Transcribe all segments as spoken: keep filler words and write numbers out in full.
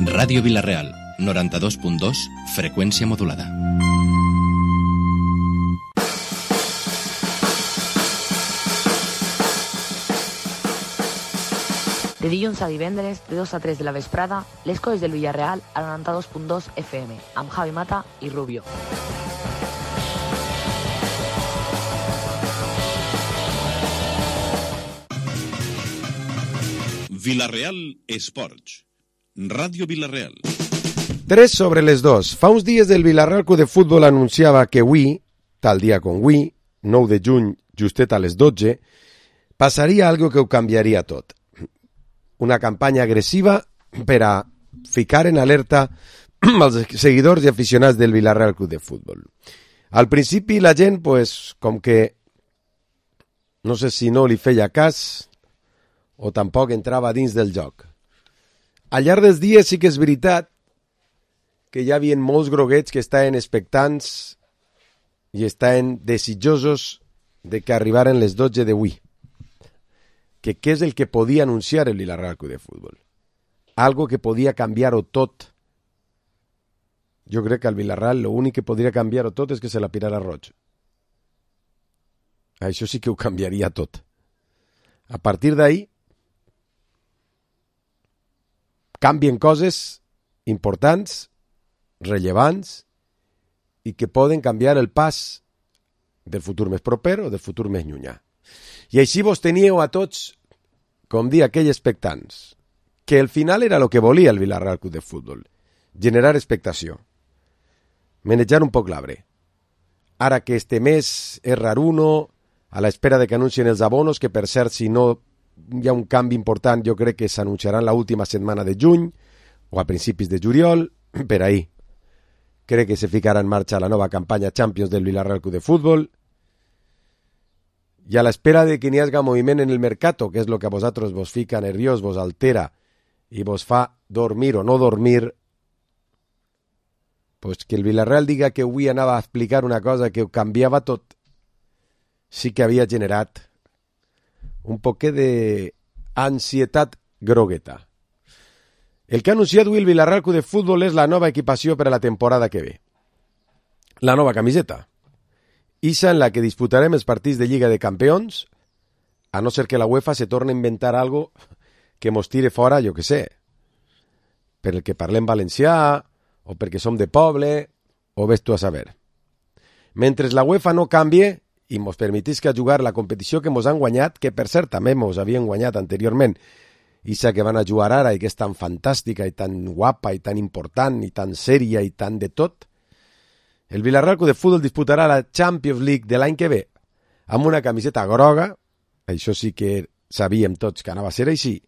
Ràdio Vila-real, noranta-dos punt dos, freqüència modulada. De dilluns a divendres, de dos a tres de la vesprada, les coses del Villarreal a noranta-dos punt dos F M, amb Javi Mata i Rubio. Vila-real Esports. Ràdio Vila-real. Tres sobre les dos. Fa uns dies el Vila-real Club de Futbol anunciava que avui, tal dia com avui, nou de juny, justet a les dotze, passaria algo que ho canviaria tot. Una campanya agressiva per a ficar en alerta els seguidors i aficionats del Vila-real Club de Futbol. Al principi la gent, pues, com que no sé si no li feia cas o tampoc entrava dins del joc. Al llarg dels dies sí que és veritat que hi havia molts groguets que estaven expectants i estaven desitjosos de que arribaren les dotze d'avui. Que què és el que podia anunciar el Vila-real Club de Futbol? Algo que podia canviar-ho tot. Jo crec que al Vila-real l'únic que podria canviar-ho tot és que se la pirara roig. Això sí que ho canviaria tot. A partir d'ahí canvien coses importants, rellevants i que poden canviar el pas del futur més proper o del futur més llunyà. I així vos teníeu a tots, com dir aquells expectants, que al final era el que volia el Vila-real Club de Futbol, generar expectació, manejar un poc l'arbre. Ara que este mes és raruno, a l'espera de que anuncien els abonos, que per cert, si no hi ha un canvi important, jo crec que s'anunciaran l'última setmana de juny o a principis de juliol, per ahí. Crec que se ficarà en marxa la nova campanya Champions del Vila-real Club de Futbol. I a l'espera de que n'hi hagi moviment en el mercato, que és el que a vosaltres vos fica nerviós, vos altera i vos fa dormir o no dormir, pues que el Vila-real diga que avui anava a explicar una cosa que ho canviava tot, sí que havia generat un poquet d'ansietat grogueta. El que ha anunciat avui el Vila-real Club de Futbol és la nova equipació per a la temporada que ve. La nova camiseta. Ixa en la que disputarem els partits de Lliga de Campions, a no ser que la UEFA se torni a inventar algo que mos tire fora, jo que sé, per el que parlem valencià, o perquè som de poble, o ves tu a saber. Mentre la UEFA no canvie i mos permetisca jugar la competició que mos han guanyat, que per cert també mos havien guanyat anteriorment, ixa que van a jugar ara i que és tan fantàstica i tan guapa i tan important i tan sèria i tan de tot, el Vila-real Club de Futbol disputarà la Champions League de l'any que ve amb una camiseta groga, això sí que sabíem tots que anava a ser així,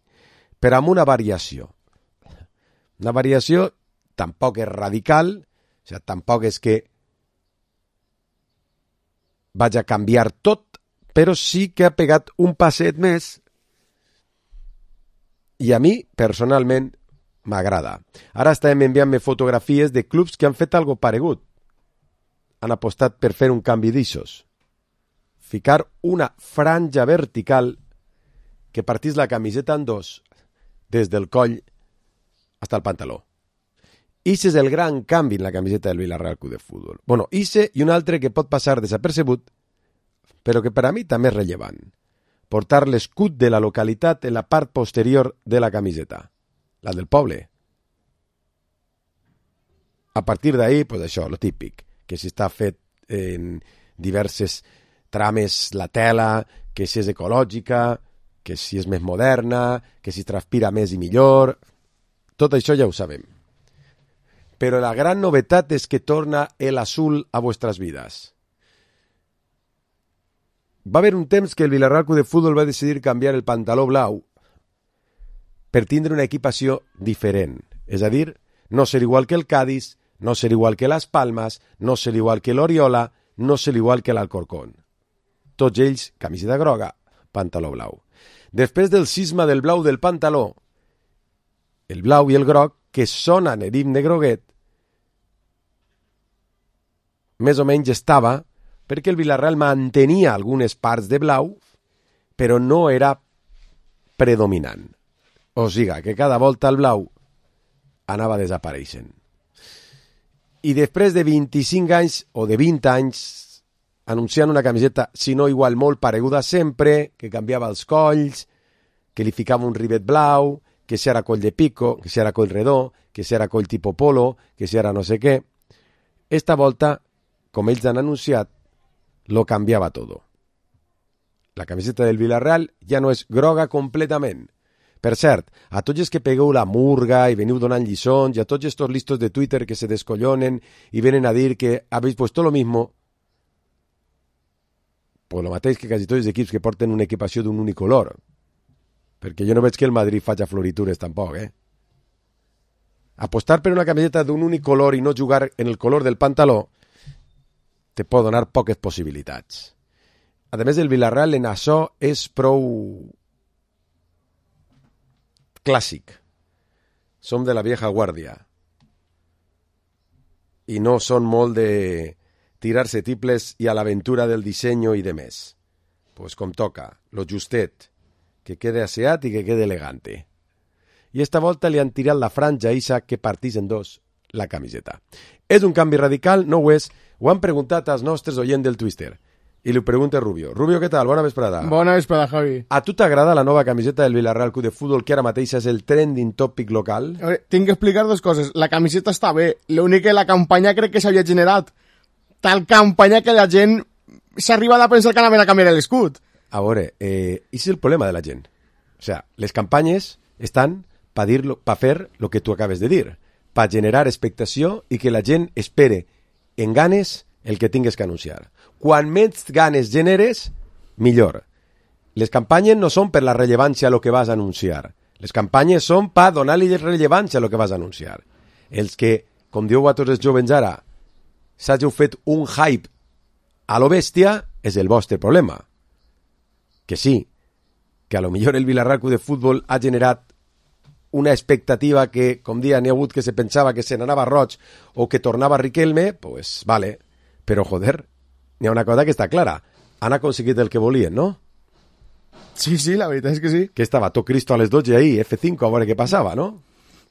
però amb una variació. Una variació tampoc és radical, o sigui, tampoc és que vaig a canviar tot, però sí que ha pegat un passet més i a mi, personalment, m'agrada. Ara estem enviant-me fotografies de clubs que han fet algo paregut. Han apostat per fer un canvi d'ixos. Ficar una franja vertical que partís la camiseta en dos, des del coll fins al pantaló. Ixe és el gran canvi en la camiseta del Vila-real Club de Futbol. Bueno, ixe i un altre que pot passar desapercebut, però que per a mi també és rellevant. Portar l'escut de la localitat en la part posterior de la camiseta, la del poble. A partir d'ahí, pues això, lo típic, que si està fet en diverses trames la tela, que si és ecològica, que si és més moderna, que si transpira més i millor. Tot això ja ho sabem. Però la gran novetat és que torna el azul a vuestras vidas. Va haver un temps que el Vila-real Club de Futbol va decidir canviar el pantaló blau per tindre una equipació diferent. És a dir, no ser igual que el Cádiz, no ser igual que Las Palmas, no ser igual que l'Oriola, no ser igual que l'Alcorcón. Tots ells, camiseta groga, pantaló blau. Després del cisma del blau del pantaló, el blau i el groc, que sonen en himne groguet, més o menys estava perquè el Vila-real mantenia algunes parts de blau, però no era predominant. O sigui, que cada volta el blau anava desapareixent. I després de vint-i-cinc anys o de vint anys anunciant una camiseta, si no igual molt pareguda sempre, que canviava els colls, que li ficava un rivet blau, que si era coll de pico, que si era coll redó, que si era coll tipo polo, que si era no sé què. Esta volta, com ells han anunciat, lo canviava todo. La camiseta del Villarreal ja no és groga completament. Per cert, a tots els que pegueu la murga i veniu donant lliçons i a tots estos listos de Twitter que se descollonen i venen a dir que habéis puesto lo mismo, pues lo mateix que quasi tots els equips que porten una equipació d'un únic color. Perquè jo no veig que el Madrid faci floritures tampoc, eh? Apostar per una camiseta d'un únic color i no jugar en el color del pantaló te pot donar poques possibilitats. A més, el Villarreal en això és prou clàssic. Som de la vieja guàrdia. I no són molt de tirar-se tiples i a l'aventura del disseny i de més. Pues com toca, lo justet, que quede aseat i que quede elegante. I esta volta li han tirat la franja eixa que partís en dos la camiseta. És un canvi radical? No ho és. Ho han preguntat als nostres oients del Twitter. I li pregunta Rubio. Rubio, què tal? Bona vesprada. Bona vesprada, Javi. A tu t'agrada la nova camiseta del Villarreal Club de Futbol, que ara mateix és el trending topic local? A veure, tinc que explicar dues coses. La camiseta està bé. L'únic que la campanya crec que s'havia generat. Tal campanya que la gent s'ha arribat a pensar que anaven a canviar l'escut. A veure, eh, és el problema de la gent. O sea, les campanyes estan per pa fer el que tu acabes de dir, per generar expectació i que la gent espere en ganes el que tingues que anunciar. Quan més ganes generes, millor. Les campanyes no són per la rellevància a lo que vas a anunciar. Les campanyes són per donar-li rellevància a lo que vas a anunciar. Els que, com dieu a tots els jovens ara, s'hàgiu fet un hype a lo bèstia, és el vostre problema. Que sí, que a lo millor el Villarreal Club de Futbol ha generat una expectativa que, com dia, n'hi ha hagut que se pensava que se n'anava Roig o que tornava Riquelme, pues vale, però joder, n'hi ha una cosa que està clara. Han aconseguit el que volien, no? Sí, sí, la veritat és que sí. Que estava tot Cristo a les dotze ahí, F cinco, a veure què passava, no?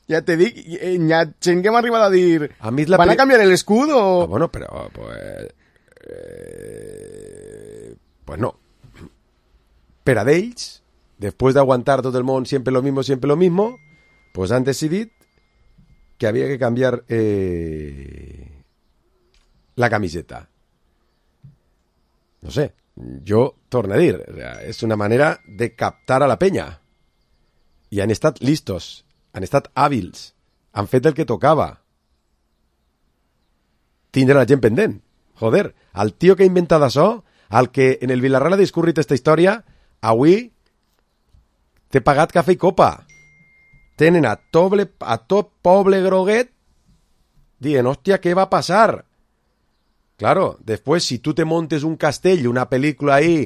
Ja te dic, hi ha gent que m'ha arribat a dir a mi la ¿van pre... a canviar el escudo? O... Ah, bueno, però pues, eh, pues no. Per a d'ells, després d'aguantar tot el món sempre lo mismo, sempre lo mismo, pues han decidit que havia que canviar eh, la camiseta. No sé, jo torno a dir, o sea, és una manera de captar a la penya. I han estat listos, han estat hàbils, han fet el que tocava. Tindre la gent pendent. Joder, el tio que ha inventat això, el que en el Villarreal ha discurrit aquesta història, avui t'he pagat cafè i copa. Tenen a, toble, a tot poble groguet dient, hòstia, què va passar? Claro, després si tu te montes un castell, una pel·lícula ahí,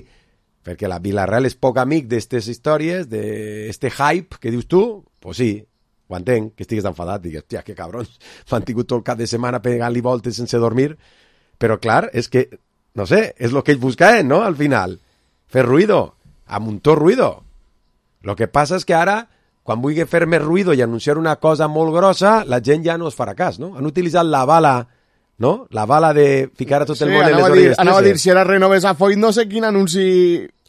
perquè la Villarreal és poc amic d'estes històries, d'este hype que dius tu, pues sí, ho entenc, que estigues enfadat, digues, hòstia, que cabrons, m'han tingut tot el cap de setmana pegant-li voltes sense dormir, però clar, és que, no sé, és el que ells buscaven, no?, al final, fer ruido, amuntó ruido. Lo que passa és que ara, quan vulgui fer més ruido i anunciar una cosa molt grossa, la gent ja no es farà cas, no? Han utilitzat la bala, no? La bala de ficar a tot el sí, món en les dir, orelles. Anava a dir, si ara renoves a Foyt, no sé quin anunci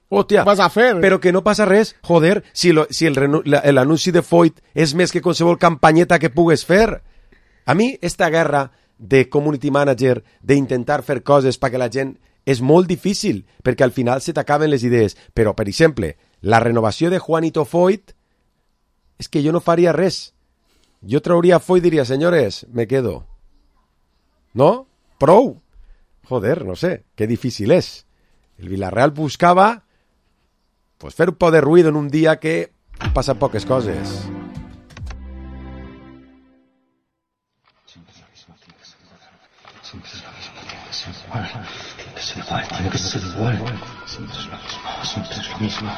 Hòstia, vas a fer. Però que no passa res, joder, si, lo, si l'anunci de Foyt és més que qualsevol campanyeta que pugues fer. A mi, esta guerra de community manager, d'intentar fer coses perquè la gent és molt difícil, perquè al final se t'acaben les idees. Però, per exemple, la renovació de Juanito Foyt, és que jo no faria res. Jo trauria Foyt i diria, senyores, me quedo. ¿No? Prou. Joder, no sé, qué difícil es. El Villarreal buscaba pues fer un poc de ruido en un dia que passen poques coses. Siempre es lo mismo, tiene que ser igual. Siempre es lo mismo, tiene que ser igual. Tiene que ser igual, tiene que ser igual. Siempre es lo mismo, siempre es lo mismo.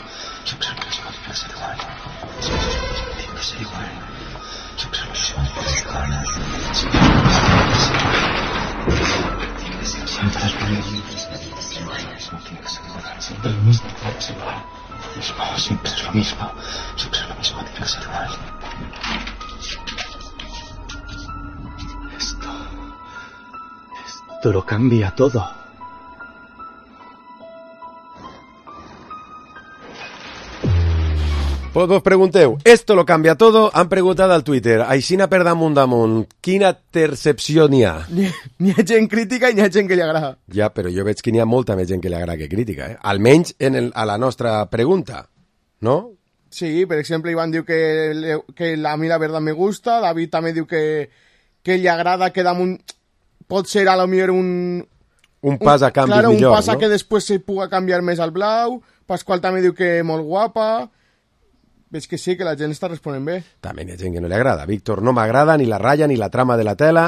Siempre es lo mismo, tiene que ser igual. Siempre es lo mismo, tiene que ser igual. Siempre es lo mismo, tiene que ser igual. Siempre es lo mismo, tiene que ser igual. Siempre es lo mismo, tiene que ser igual. Siempre es lo mismo, tiene que ser igual. Siempre es lo mismo, siempre es lo mismo, tiene que ser igual. Esto lo cambia todo. Pues vos pregunteu, esto lo cambia todo? Han preguntat al Twitter. Aixina per damunt damunt, quina percepció n'hi ha? N'hi ha gent crítica i n'hi ha gent que li agrada. Ja, però jo veig que n'hi ha molta més gent que li agrada que crítica, eh? Almenys en el, a la nostra pregunta, no? Sí, per exemple, Ivan diu que, le, que a mi la verdad me gusta, David també diu que, que li agrada que damunt pot ser a lo millor un... Un pas a canvi claro, millor, un pas a no? que després se puga canviar més al blau. Pasqual també diu que molt guapa. Veig que sí, que la gent està responent bé. També hi ha gent que no li agrada. Víctor, no m'agrada ni la ratlla ni la trama de la tela.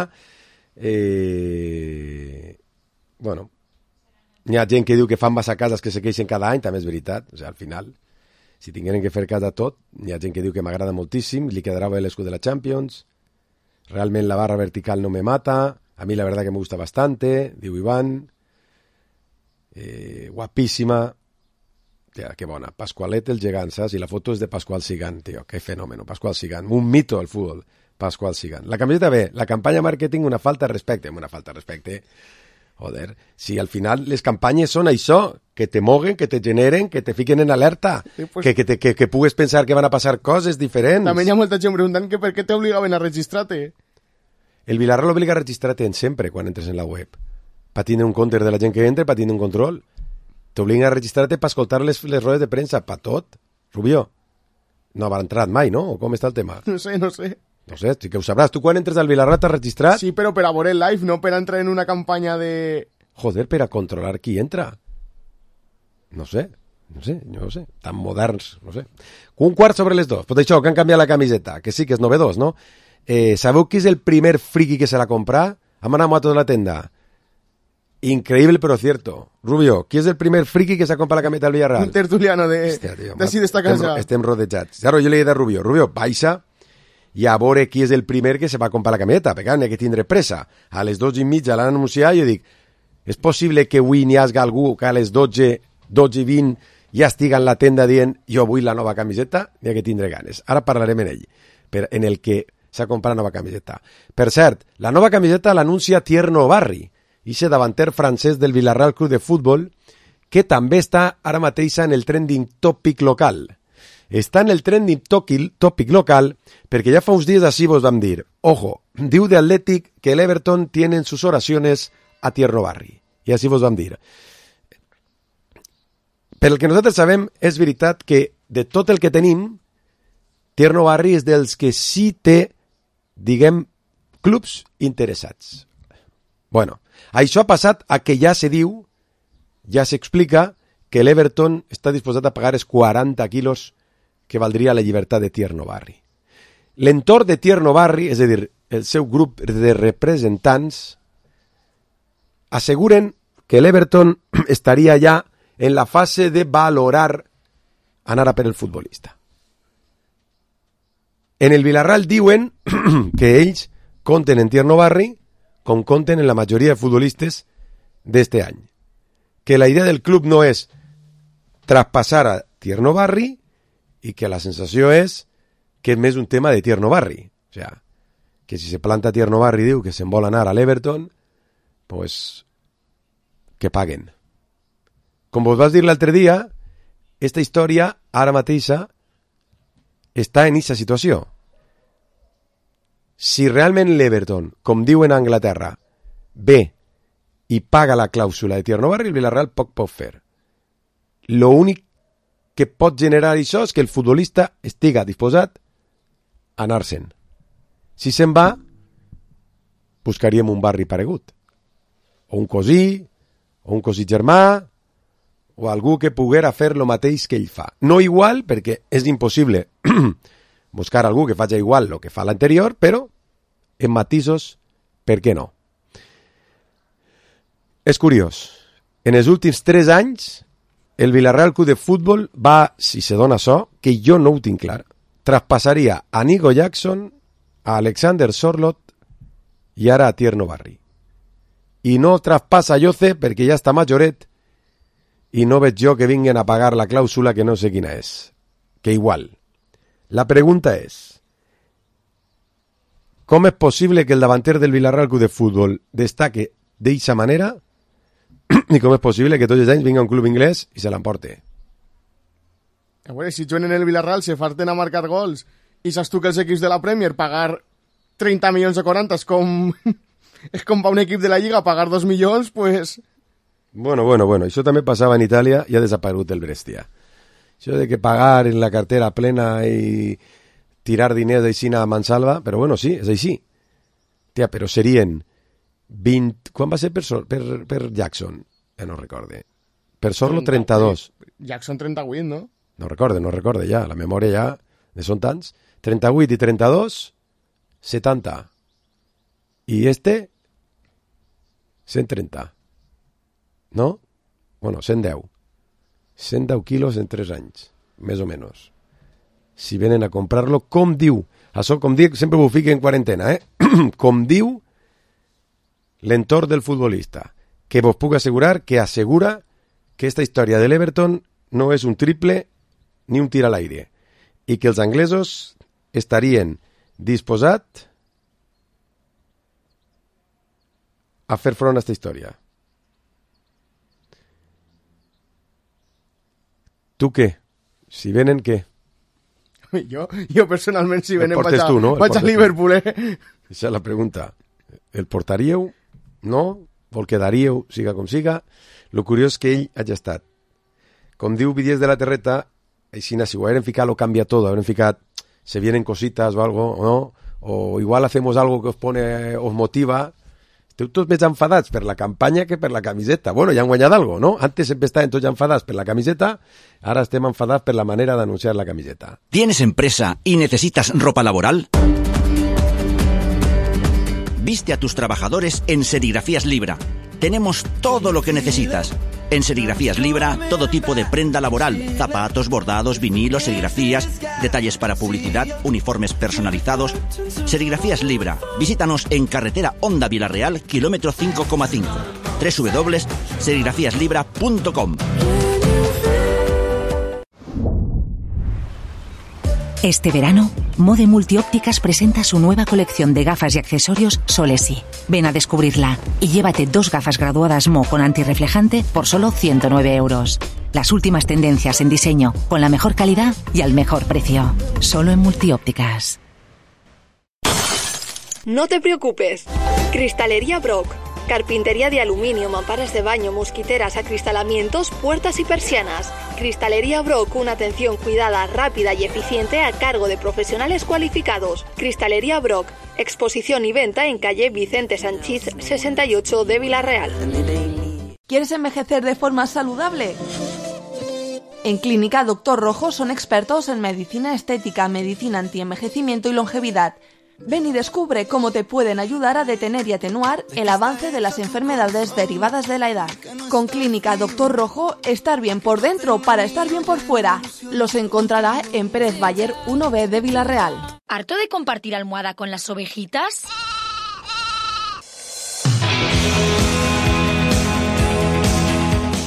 Eh... Bueno, hi ha gent que diu que fan massa cases que se queixen cada any, també és veritat. O sigui, al final, si tingueren que fer casa tot, hi ha gent que diu que m'agrada moltíssim, li quedarà bé l'escut de la Champions, realment la barra vertical no me mata, a mi la verdad que me gusta bastante, diu Iván, eh, guapíssima. Tía, qué bona. Pascualet el gegant, saps? I la foto és de Pascual Sigan, tio. Qué fenómeno. Pascual Sigan. Un mito al fútbol. Pascual Sigan. La camiseta bé. La campanya marketing, una falta de respecte. Una falta de respecte. Joder. Si al final les campanyes són això, que te moguen, que te generen, que te fiquen en alerta, sí, pues... que, que, te, que, que pugues pensar que van a passar coses diferents. També hi ha molta gent preguntant que per què t'obligaven a registrar-te. El Villarreal obliga a registrar-te en sempre quan entres en la web. Pa tindre un compte de la gent que entra, pa tindre un control. T'obliguen a registrar-te per escoltar les, les rodes de premsa, pa tot. Rubio, no haurà entrat mai, no? O com està el tema? No sé, no sé. No sé, sí que ho sabràs. Tu quan entres al Villarreal t'has registrat? Sí, però per a veure el live, no per a entrar en una campanya de... Joder, per a controlar qui entra. No sé, no sé, no sé. Tan moderns, no sé. Un quart sobre les dos. Pues això, que han canviat la camiseta, que sí que és novedós, no? Eh, sabeu qui és el primer friki que se la compra? Han anat a tota la tenda. Increíble pero cierto. Rubio, ¿quién es el primer friki que se ha comprado la camiseta del Villarreal? Un tertuliano de... Hòstia, tio, de així d'esta casa. Estem, estem rodejats. Claro, jo li he dit a Rubio, Rubio, baixa i a veure qui és el primer que se va comprar la camiseta, perquè n'hi ha que tindre pressa. A les dotze i mitja l'han anunciat i jo dic, és possible que avui n'hi hagi algú que a les dotze, dotze i vint ja estiga en la tenda dient jo vull la nova camiseta? N'hi ha que tindre ganes. Ara parlarem en ell, per, en el que s'ha comprat la nova camiseta. Per cert, la nova camiseta l'anuncia Tierno Barri, ixe davanter francès del Villarreal Club de Futbol, que també està ara mateix en el trending topic local. Està en el trending topic local perquè ja fa uns dies així vos vam dir, ojo, diu de Atlètic que l'Everton tiene sus oraciones a Tierno Barri. I així vos vam dir. Per el que nosaltres sabem, és veritat que de tot el que tenim, Tierno Barri és dels que sí té, diguem, clubs interessats. Bueno, això ha passat a que ja se diu, ja s'explica, que l'Everton està disposat a pagar els quaranta quilos que valdria la llibertat de Tierno Barri. L'entorn de Tierno Barri, és a dir, el seu grup de representants, asseguren que l'Everton estaria ja en la fase de valorar anar a per el futbolista. En el Villarreal diuen que ells compten en Tierno Barri com compten en la majoria de futbolistes d'este any. Que la idea del club no és traspassar a Tierno Barri i que la sensació és que és més un tema de Tierno Barri. O sea, que si se planta Tierno Barri diu que se'n vol anar a l'Everton, pues que paguen. Com vos vas dir l'altre dia, esta història ara mateixa està en aquesta situació. Si realment l'Everton, com diuen a Anglaterra, ve i paga la clàusula de Tierno Barri, el Villarreal poc pot fer. L'únic que pot generar això és que el futbolista estiga disposat a anar-se'n. Si se'n va, buscaríem un barri paregut. O un cosí, o un cosí germà, o algú que poguera fer lo mateix que ell fa. No igual, perquè és impossible buscar algú que faci igual el que fa l'anterior, però en matisos, per què no? És curiós. En els últims tres anys, el Villarreal Club de Futbol va, si se dona això, que jo no ho tinc clar, traspassaria a Nico Jackson, a Alexander Sorloth i ara a Tierno Barri. I no traspassa a Yoce perquè ja està majoret i no veig jo que vinguen a pagar la clàusula que no sé quina és. Que igual. La pregunta és, com és possible que el davanter del Villarreal Club de Futbol destaque d'eixa manera i com és possible que tots els anys vinga un club inglès i se l'emporte. A veure, si juguen en el Villarreal se farten a marcar gols i saps tu que els equips de la Premier pagar trenta milions o quaranta és com, és com per un equip de la Lliga pagar dos milions, pues... Bueno, bueno, bueno, això també passava en Itàlia i ha desaparegut el Brescia. Això de que pagar en la cartera plena i tirar diners així a mansalva, però bueno, sí, és així. Tia, però serien vint... Quan va ser per, per, per Jackson? Ja no recorde. Per Sorlo trenta-dos. Jackson trenta-vuit, no? No recorde, no recorde ja. La memòria ja ne són tants. trenta-vuit i trenta-dos, setanta. I este, cent trenta. No? Bueno, cent deu. cent deu quilos en tres anys, més o menys. Si venen a comprar-lo, com diu, això com dic, sempre ho fico en quarantena, eh? Com diu l'entorn del futbolista, que vos puc assegurar que assegura que esta història de l'Everton no és un triple ni un tir a l'aire, i que els anglesos estarien disposats a fer front a esta història. Tu què? Si venen, què? Jo, jo personalment, si venen, vaig, a, tu, no? vaig a Liverpool, eh? Aquesta és la pregunta. El portaríeu? No? O el quedaríeu, siga com siga? Lo curiós és que ell hagi estat. Com diu Vidies de la Terreta, així, si ho hagueren ficat, lo cambia todo. Hagueren ficat, se vienen cositas o algo, o no? O igual hacemos algo que os pone, os motiva. Esteu tots més enfadats per la campanya que per la camiseta. Bueno, ja han guanyat algo, no? Antes sempre estaven tots enfadats per la camiseta, ara estem enfadats per la manera d'anunciar la camiseta. ¿Tienes empresa y necesitas ropa laboral? Viste a tus trabajadores en Serigrafías Libra. Tenemos todo lo que necesitas. En Serigrafías Libra, todo tipo de prenda laboral, zapatos, bordados, vinilos, serigrafías, detalles para publicidad, uniformes personalizados. Serigrafías Libra. Visítanos en carretera Honda Villarreal, kilómetro cinco coma cinco. doble u doble u doble u punto serigrafías libra punto com. Este verano, Mode Multiópticas presenta su nueva colección de gafas y accesorios Solesi. Ven a descubrirla y llévate dos gafas graduadas Mo con antirreflejante por solo ciento nueve euros. Las últimas tendencias en diseño, con la mejor calidad y al mejor precio. Solo en Multiópticas. No te preocupes. Cristalería Brock. Carpintería de aluminio, mamparas de baño, mosquiteras, acristalamientos, puertas y persianas. Cristalería Brock, una atención cuidada, rápida y eficiente a cargo de profesionales cualificados. Cristalería Brock, exposición y venta en calle Vicente Sanchís sesenta y ocho de Villarreal. ¿Quieres envejecer de forma saludable? En Clínica Doctor Rojo son expertos en medicina estética, medicina antienvejecimiento y longevidad. Ven y descubre cómo te pueden ayudar a detener y atenuar el avance de las enfermedades derivadas de la edad. Con Clínica Doctor Rojo, estar bien por dentro para estar bien por fuera. Los encontrará en Pérez Bayer uno B de Villarreal. ¿Harto de compartir almohada con las ovejitas?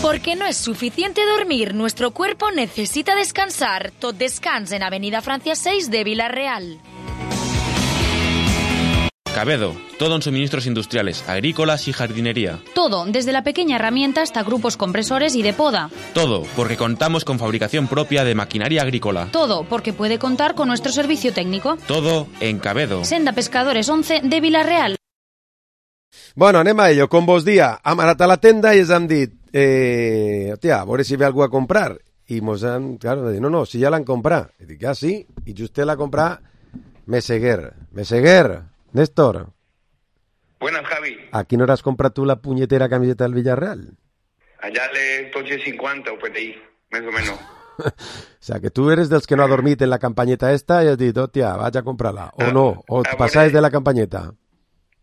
Porque no es suficiente dormir, nuestro cuerpo necesita descansar. Tot Descans en Avenida Francia seis de Villarreal. Cabedo, todo en suministros industriales, agrícolas y jardinería. Todo, desde la pequeña herramienta hasta grupos compresores y de poda. Todo, porque contamos con fabricación propia de maquinaria agrícola. Todo, porque puede contar con nuestro servicio técnico. Todo en Cabedo. Senda Pescadores once de Villarreal. Bueno, anem a ello. Com vos dia, hem anat a la tenda i ens han dit, eh, hòstia, a veure si ve algú a comprar. I mos han, claro, dit, no, no, si ja l'han comprat. I dic, ah, sí? I just l'ha comprat Meseguer. Meseguer. Néstor. Buenas, Javi. ¿A qué hora has comprado tú la puñetera camiseta del Villarreal? Allá le doce cincuenta o por ahí, más o menos. O sea, que tú eres dels que no ha dormit en la campañeta esta y has dit, hòstia, vaig a comprarla. O no, o ah, pasáis bueno, de la campañeta.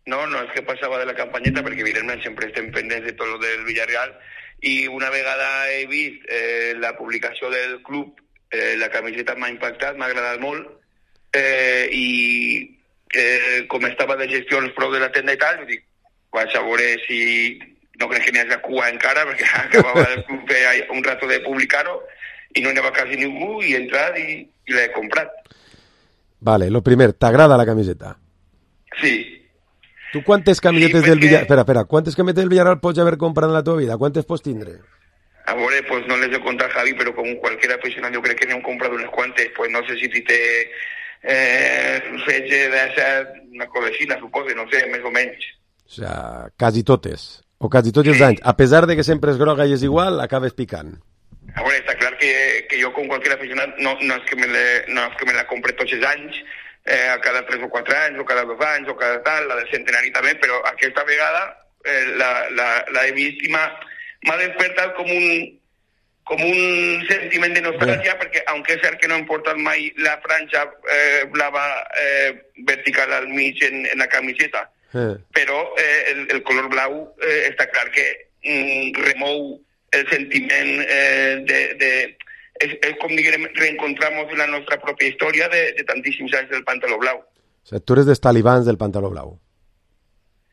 No, no, es que pasaba de la campañeta porque evidentment siempre estem pendents de tot lo del Villarreal i una vegada he vist eh, la publicació del club, eh, la camiseta m'ha impactat, m'ha agradat molt eh, i Eh, com estava de gestió els prou de la tenda i tal, dic, vaig a veure si no crec que n'hi hagi cua encara, perquè acabava el club de, un rato de publicar-ho i no n'hi havia quasi ningú i he entrat i, i l'he comprat. Vale, lo primer, ¿t'agrada la camiseta? Sí, Tu quantes camisetes Sí, del perquè- Villarreal... Espera, espera, quantes camisetes del Villarreal pots haver comprat en la teva vida? Quantes pots tindre? A veure, pues no les he contat, Javi, però com qualsevol aficionat jo crec que n'hem comprat unes quantes. Pues no sé si te eh, fetge d'essa, una codecina, suposo, no sé, més o menys. O sea, quasi totes. O quasi tots els anys. A pesar de que sempre és groga i és igual, acabes picant. A veure, està clar que, que jo com qualsevol aficionat no, no, és que me le, no és que me la compre tots els anys, eh, a cada tres o quatre anys, o cada dos anys, o cada tal, la del centenari també, però aquesta vegada eh, la, la, la he vist i m'ha m'ha despertat com un, com un sentiment de nostàlgia, perquè, aunque és cert que no hem portat mai la franja eh, blava eh, vertical al mig en, en la camiseta, Eh. però eh, el, el color blau eh, està clar que mm, remou el sentiment eh, de... de és, és com diguem, reencontramos la nostra pròpia història de, de tantíssims anys del pantaló blau. O sea, tu eres dels talibans del pantaló blau.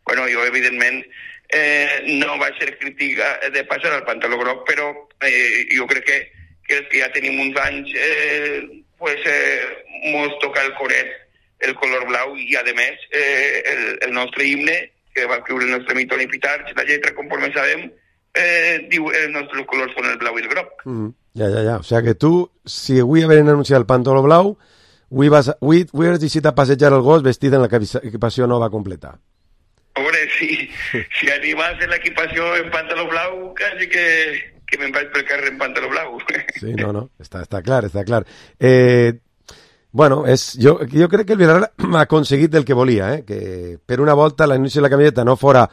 Bueno, jo, evidentment, eh, no vaig ser crític de passar al pantaló groc, però eh, jo crec que, que els que ja tenim uns anys, eh, pues, eh, mos toca el coret el color blau i, a més, eh, el, el nostre himne, que va escriure el nostre Mitoni Pitarch, la lletra, conforme sabem, eh, diu els nostres colors són el blau i el groc. Mm. Ja, ja, ja. O sea que tu, si avui haveren anunciat el pantaló blau, avui, vas, avui, avui has decidit a passejar el gos vestit en l'equipació nova completa. A veure, si, si animas en l'equipació en pantaló blau, quasi que, que me'n vaig pel carrer en pantaló blau. Sí, no, no, està, està clar, està clar. Eh, bueno, és, jo, jo crec que el Villarreal ha aconseguit el que volia, eh? Que per una volta l'anunci de la camiseta no fora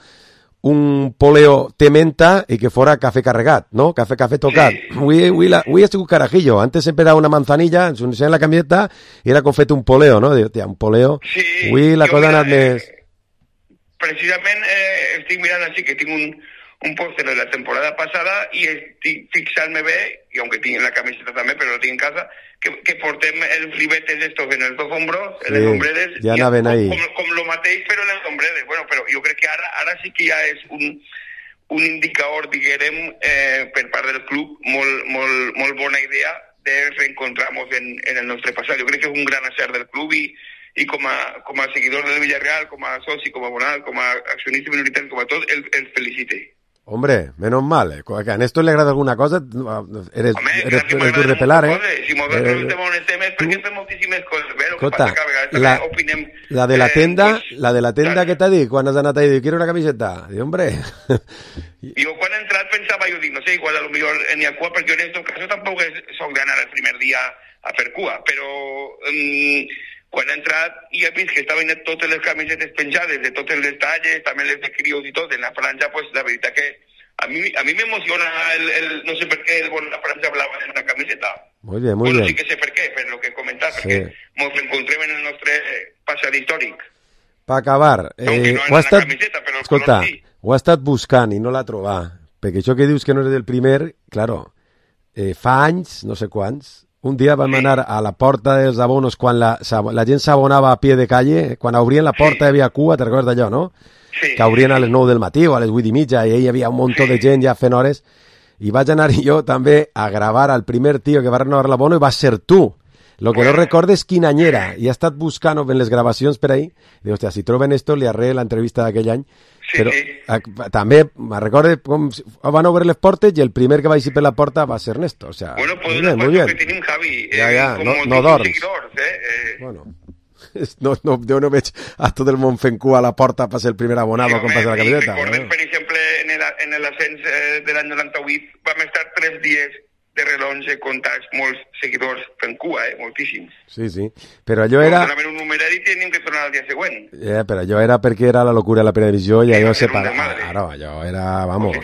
un poleo tementa i que fora cafè carregat, no? Cafè, cafè tocat. Sí. Avui, avui, la, avui ha sigut carajillo. Antes sempre era una manzanilla, ens anunciaven la camiseta i era com fet un poleo, no? Diu, tia, un poleo. Sí, avui la cosa ha anat eh, més... Precisament eh, estic mirant així que tinc un, un pòster de la temporada passada i estic fixant-me bé, i aunque tinc la camiseta també, però la tinc en casa, que, que portem els ribetes estos en els dos hombros, en Sí, les ombreres, ja anaven ahí. com, com, com lo mateix, però en les ombreres. Bueno, però jo crec que ara, ara sí que ja és un, un indicador, diguem, eh, per part del club, molt, molt, molt bona idea de reencontrar-nos en, en el nostre passat. Jo crec que és un gran acert del club i i com a, com a seguidor del Villarreal, com a soci, com a abonat, com a accionista minoritari, com a tot, el, el felicite. Hombre, menos mal. Eh? Que a Néstor le agrada alguna cosa, eres, Home, eres, que eres dur de pelar, eh? Coses. Si nosaltres eh, estem on estem és perquè fem moltíssimes coses. Bé, el que Escolta, passa que a vegades la, també opinem... la de la eh, tenda, pues, la de la tenda que t'ha dit, quan has anat ahí, diu, quiero una camiseta. Diu, hombre... Jo quan he entrat pensava, jo dic, no sé, igual a lo millor n'hi ha cua, perquè jo en aquest cas tampoc soc d'anar el primer dia a fer cua, però um, quan he entrat i he vist que estaven totes les camisetes penjades de totes les talles, també les de crios i tot, en la franja, pues la veritat que a mi a mi m'emociona el, el, no sé per què, el vol la franja blava en una camiseta. Muy bien, muy bueno, bien. sí que sé per què, per lo que he comentat, Sí. perquè ens encontrem en el nostre passat històric. Per acabar, eh, no ho, ha en la estat, camiseta, però el escolta, color sí. ho ha estat buscant i no l'ha trobat, perquè això que dius que no eres el primer, claro, eh, fa anys, no sé quants, un dia vam anar a la porta dels abonos quan la, la gent s'abonava a pie de calle, quan obrien la porta hi havia cua, te recordes d'allò, no? Sí. Que obrien a les nou del matí o a les vuit i mitja i hi havia un munt de gent ja fent hores i vaig anar jo també a gravar al primer tio que va renovar l'abono i va ser tu. Lo que no recordes quin any era i he estat buscant en les gravacions per ahí i dic, hòstia, si troben esto li arré l'entrevista d'aquell any sí, però sí. A, també me recorde com si, van obrir les portes i el primer que va eixir per la porta va ser Ernesto, o sea, Bueno, pues muy una bien, muy cosa bien. que tenim, Javi, eh, Ja, ja, com no- moltíssims no dorms. seguidors, eh? eh Bueno, no, no, jo no veig a tot el món fent cua a la porta per ser el primer abonado com passa la i camiseta. recordem, per exemple, en el, en l'ascens eh, de l'any noranta-vuit vam estar tres dies de relonge comptats molts seguidors fent cua, eh? Moltíssims. Sí, sí, però allò era... Donaven un numerari i teníem que tornar al dia següent. Eh, però allò era perquè era la locura de la primera divisió i allò era un separa... desmadre. Claro, allò era, vamos,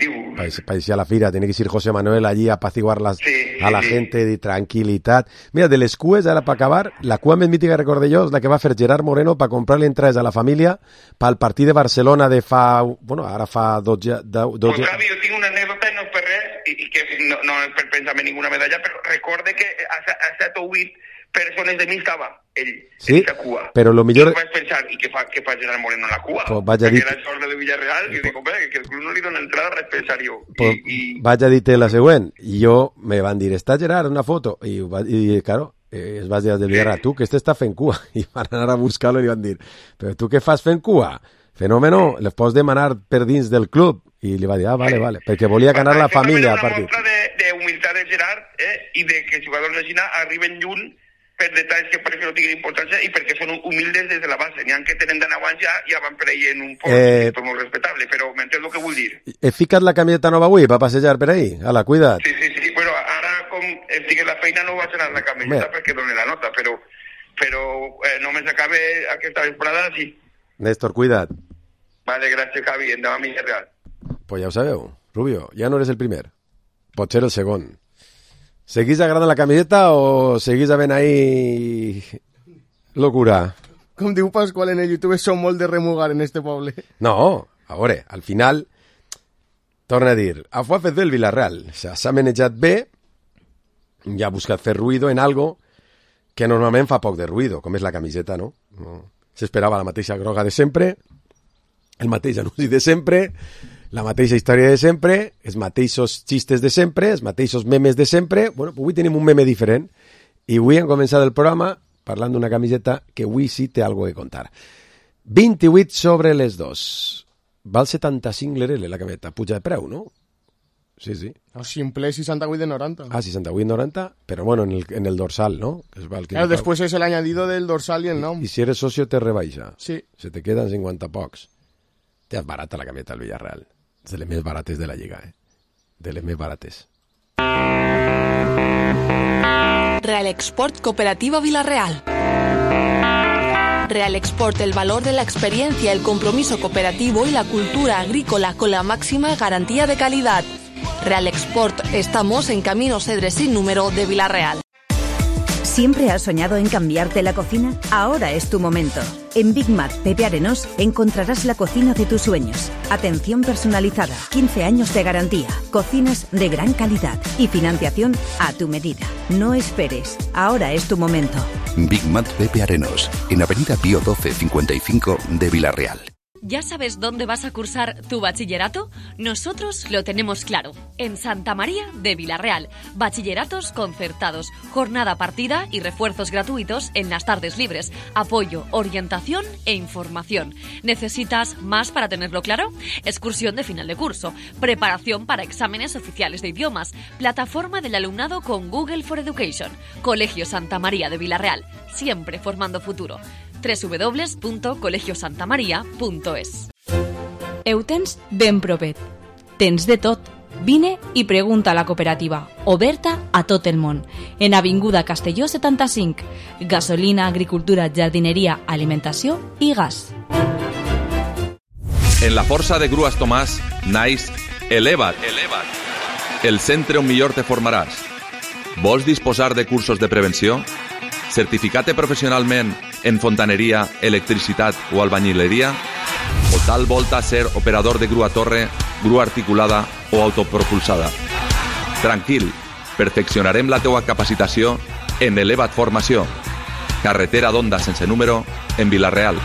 parecía la fira, tenía que ir José Manuel allí a apaciguar las, Sí, a la sí. gente de tranquilitat. Mira, de les cues, ara per acabar, la cua més mítica que recordé jo és la que va fer Gerard Moreno per comprar-li entrades a la família pel partit de Barcelona de fa... Bueno, ara fa dotze... dotze... Pues, Javi, jo tinc una anècdota i no és per res, i, i que no, no és per pensar-me ninguna medalla, però recorde que a, a set o vuit persones de mi estava ell, Sí, en aquesta cua. però lo millor... I vaig pensar, i què fa, què fa Gerard Moreno en la cua? Pues vaig a dir- Perquè era el sort de Villarreal, i dic, home, que el club no li dona entrada, vaig pensar jo. Pues, vaig a dir-te la següent. I jo me van dir, està Gerard, una foto. I, va, i claro, eh, es va dir del Villarreal, tu, que este està fent cua. I van anar a buscar-lo i li van dir, però tu què fas fent cua? Fenòmeno, les pots demanar per dins del club. I li va dir, ah, vale, vale, perquè volia ganar la família al partit. És una mostra d'humilitat de Gerard eh, i de que els jugadors de Xina arriben lluny per detalls que parece que no tinguin importància i perquè són humildes des de la base. N'hi ha que tenen d'anar abans ja, ja van per ahí en un poc, eh, tot molt respectable, però m'entens el que vull dir. He ficat la camiseta nova avui per passejar per ahí? Ala, cuida't. Sí, sí, sí, però ara com estic en la feina no vaig anar la camiseta Bé. perquè doni la nota, però, però eh, només acabe aquesta vesprada, sí. Néstor, cuida't. Vale, gràcies, Javi, endavant Villarreal. Pues ja ho sabeu, Rubio, ja no eres el primer. Pot ser el segon. ¿Seguís agradant la camiseta o seguís havent ahí locura? Com diu Pasqual en el YouTube, som molt de remugar en este poble. No, a veure, al final, torna a dir, a F C del Villarreal s'ha manejat bé i ha buscat fer ruïdo en algo que normalment fa poc de ruïdo, com és la camiseta, no? no. S'esperava la mateixa groga de sempre, el mateix anunci de sempre, la mateixa història de sempre, els mateixos xistes de sempre, els mateixos memes de sempre. Bueno, avui tenim un meme diferent i avui hem començat el programa parlant d'una camiseta que avui sí té alguna cosa a contar. vint-i-vuit sobre les dos. Val setanta-cinc l'R L la camiseta. Puja de preu, no? Sí, sí. O simple seixanta-vuit de noranta. Ah, seixanta-vuit noranta, però bueno, en el, en el dorsal, ¿no? Es val que claro, después es el añadido del dorsal y el nom. I si eres socio te rebaixa. Sí. Se te quedan cinquanta pocs. Te és barata la camiseta del Villarreal. És de les més barates de la Lliga, eh? De les més barates. Real Export Cooperativa Villarreal. Real Export, el valor de la experiencia, el compromiso cooperativo y la cultura agrícola con la máxima garantía de calidad. Real Export, estamos en Camino Cedre sin número de Villarreal. ¿Siempre has soñado en cambiarte la cocina? Ahora es tu momento. En Big Mat Pepe Arenós encontrarás la cocina de tus sueños. Atención personalizada, quince años de garantía, cocinas de gran calidad y financiación a tu medida. No esperes, ahora es tu momento. Big Mat Pepe Arenós, en Avenida Pío doce cincuenta y cinco de Villarreal. ¿Ya sabes dónde vas a cursar tu bachillerato? Nosotros lo tenemos claro. En Santa María de Villarreal. Bachilleratos concertados, jornada partida y refuerzos gratuitos en las tardes libres. Apoyo, orientación e información. ¿Necesitas más para tenerlo claro? Excursión de final de curso. Preparación para exámenes oficiales de idiomas. Plataforma del alumnado con Google for Education. Colegio Santa María de Villarreal. Siempre formando futuro. doble u doble u doble u punto colegio santa maria punto es. Ho tens ben propet. Tens de tot. Vine i pregunta a la cooperativa, oberta a tot el món. En Avinguda Castelló setanta-cinc. Gasolina, agricultura, jardineria, alimentació i gas. En la força de Grues Tomàs naix Eleva't. Eleva't. El centre on millor te formaràs. Vols disposar de cursos de prevenció? Certificat-te professionalment en fontaneria, electricitat o albañileria? O tal volta ser operador de grua torre, grua articulada o autopropulsada? Tranquil, perfeccionarem la teua capacitació en Eleva't Formació. Carretera d'Onda sense número en Vilareal.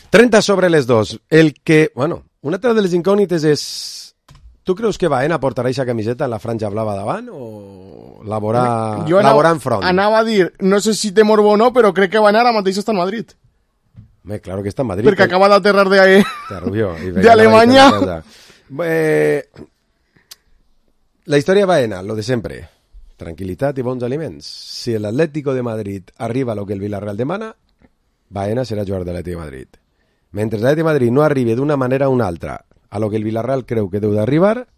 trenta sobre les dos. El que, bueno, una altra de les incògnites és... Tu creus que Baena portarà aquesta camiseta en la franja blava davant o laborar, jo anava, laborar en front? Anava a dir, no sé si té morbo o no, però crec que Baena ara mateix està en Madrid. Home, claro que està en Madrid. Perquè que... acaba d'aterrar de, de Alemanya. Eh, la història Baena, lo de sempre. Tranquilitat i bons aliments. Si l'Atlético de Madrid arriba a lo que el Villarreal demana, Baena serà jugador de l'Atlético de Madrid. Mentre l'Atlético de Madrid no arribi d'una manera o una altra a lo que el Villarreal creu que deu d'arribar,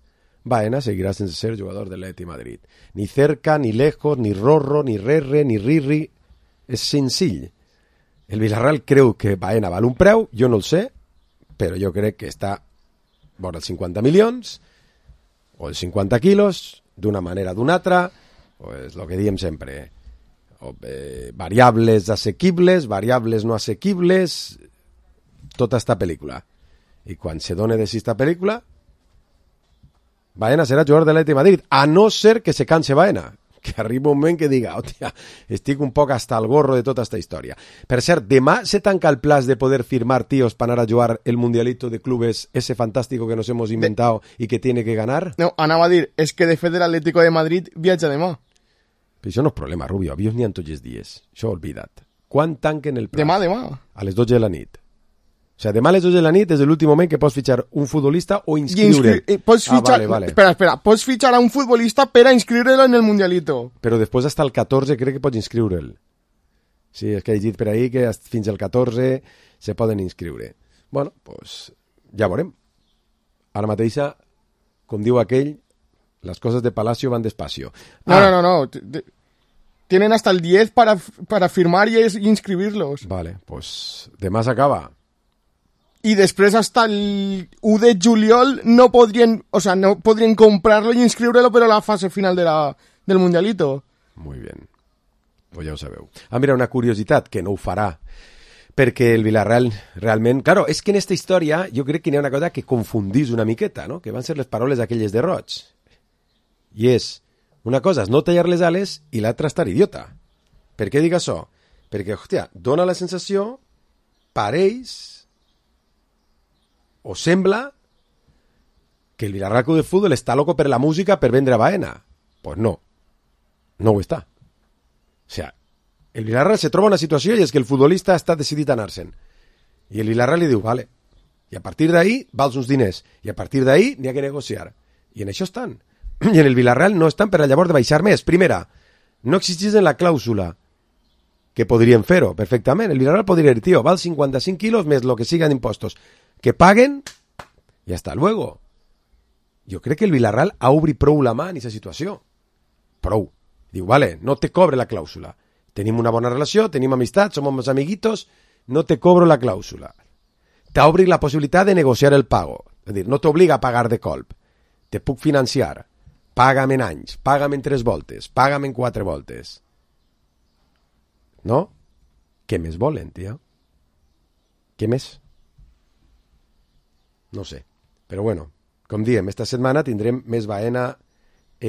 Baena seguirà sense ser jugador de l'Atleti Madrid. Ni cerca, ni lejos, ni rorro, ni rerre, ni rirri. És senzill. El Villarreal creu que Baena val un preu, jo no el sé, però jo crec que està vora els cinquanta milions o els cinquanta quilos, d'una manera o d'una altra, pues lo que diem sempre. O, eh, variables assequibles, variables no assequibles, tota esta pel·lícula. I quan se done de esta pel·lícula, Baena serà jugador de l'Atleti Madrid, a no ser que se canse Baena, que arriba un moment que diga, hòstia, estic un poc hasta el gorro de tota esta història. Per cert, demà se tanca el plaç de poder firmar tíos para anar a jugar el Mundialito de Clubes, ese fantástico que nos hemos inventado de... y que tiene que ganar? No, anava a dir, és que de fet l'Atlético de Madrid viatja demà. Però això no és problema, Rubio, avions n'hi ha tots els dies, això oblida't. Quan tanquen el plaç? Demà, demà. A les dotze de la nit. O sea, demà a les dues de la nit és l'últim moment que pots fitxar un futbolista o inscriure'l. Inscri... Pots fitxar... Ah, vale, vale. Espera, espera. Pots fitxar a un futbolista per a inscriure'l en el Mundialito. Però després hasta el catorze crec que pots inscriure'l. Sí, és que he llegit per ahí que fins al catorze se poden inscriure. Bueno, pues ja veurem. Ara mateixa, com diu aquell, les coses de Palacio van despacio. No, ah. no, no, no. Tienen hasta el diez para, para firmar y inscribirlos. Vale, pues demà s'acaba. Y después hasta el u de juliol no podrían, o sea, no podrían comprarlo y inscriurlo, pero la fase final de la, del Mundialito. Muy bien. Pues ja ho sabeu. Ah, mira, una curiositat, que no ho farà, perquè el Villarreal realment... Claro, és que en esta història jo crec que hi ha una cosa que confundís una miqueta, no? Que van ser les paraules aquelles de Roig. I és, una cosa és no tallar les ales i l'altra estar idiota. Per què dic això? Perquè, hòstia, dona la sensació, pareix, o sembla, que el Villarreal Club de Fútbol està loco per la música per vendre a Baena. Pues no, no ho està. O sea, el Villarreal se troba una situació i és que el futbolista està decidit a anar-se'n. I el Villarreal li diu, vale, i a partir d'ahí vals uns diners, i a partir d'ahí n'hi ha que negociar. I en això estan. I en el Villarreal no estan per a llavors de baixar més. Primera, no existís en la clàusula, que podrien fer-ho perfectament. El Villarreal podria dir, tio, val cinquanta-cinc quilos més lo que sigan impostos. Que paguen i hasta luego. Jo crec que el Villarreal ha obrit prou la mà en aquesta situació. Prou. Diu, vale, no te cobre la clàusula. Tenim una bona relació, tenim amistat, som uns amiguitos, no te cobro la clàusula. T'obri la possibilitat de negociar el pago. És a dir, no t'obliga a pagar de colp. Te puc financiar. Paga'm en anys, paga'm en tres voltes, paga'm en quatre voltes. No? Què més volen, tio? Què més? No sé, però bueno, com diem, esta setmana tindrem més Baena eh,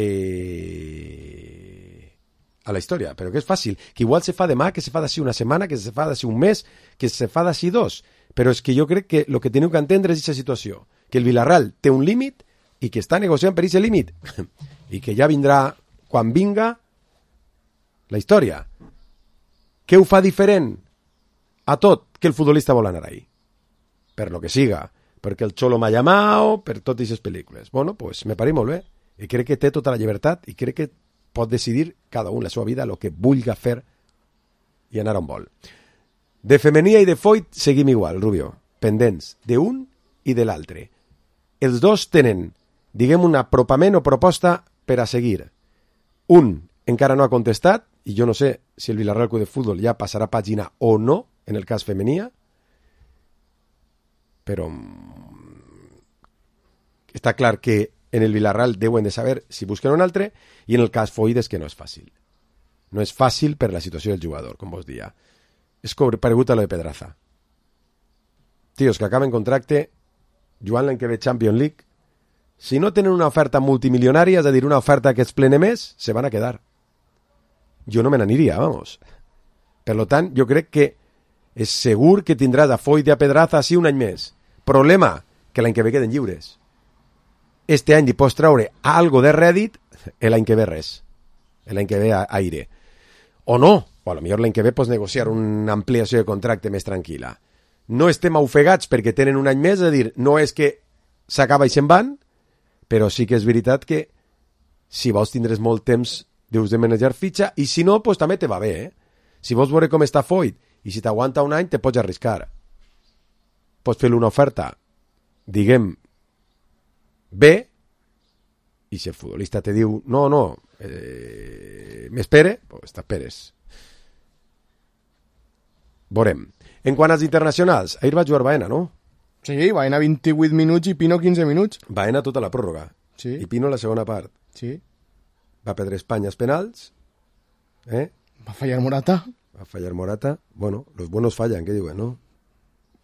a la història, però que és fàcil, que igual se fa demà, que se fa d'ací una setmana, que se fa d'ací un mes, que se fa d'ací dos, però és que jo crec que el que teniu que entendre és aquesta situació, que el Villarreal té un límit i que està negociant per aquest límit i que ja vindrà, quan vinga, la història. Què ho fa diferent a tot que el futbolista vol anar ahí? Per lo que siga, perquè el Cholo m'ha llamat, per totes aquestes pel·lícules. Bueno, pues me pareix molt bé. I crec que té tota la llibertat i crec que pot decidir cada un la seva vida el que vulgui fer i anar on vol. De Femenia i de Foyt seguim igual, Rubio, pendents d'un i de l'altre. Els dos tenen, diguem, un apropament o proposta per a seguir. Un encara no ha contestat, i jo no sé si el Villarreal Club de Fútbol ja passarà pàgina o no, en el cas Femenia, però està clar que en el Villarreal deuen de saber si busquen un altre, i en el cas Foyt és que no és fàcil. No és fàcil per la situació del jugador, com vos dia. És paregut a lo de Pedraza. Tios que acaben contracte, jugant l'any que ve Champions League, si no tenen una oferta multimilionària, és a dir, una oferta que es plene més, se van a quedar. Jo no me n'aniria, vamos. Per lo tant, jo crec que és segur que tindràs a Foyt i a Pedraza així un any més. Problema, que l'any que ve queden lliures. Este any li pots traure algo de rèdit, l'any que ve res. L'any que ve aire. O no, o a lo millor l'any que ve pots negociar una ampliació de contracte més tranquil·la. No estem ofegats perquè tenen un any més, és a dir, no és que s'acaba i se'n van, però sí que és veritat que si vols tindres molt temps deus de manejar fitxa, i si no, pues també te va bé, eh? Si vols veure com està Foyt, i si t'aguanta un any, te pots arriscar. Pots fer-li una oferta, diguem, bé, i si el futbolista te diu, no, no, eh, m'espere, pues t'esperes. Veurem. En quant als internacionals, ahir va jugar Baena, no? Sí, Baena vint-i-vuit minuts i Pino quinze minuts. Baena tota la pròrroga. Sí. I Pino la segona part. Sí. Va perdre Espanya els penals. Eh? Va fallar Morata. Va fallar Morata. Bueno, los buenos fallan, què diuen, no?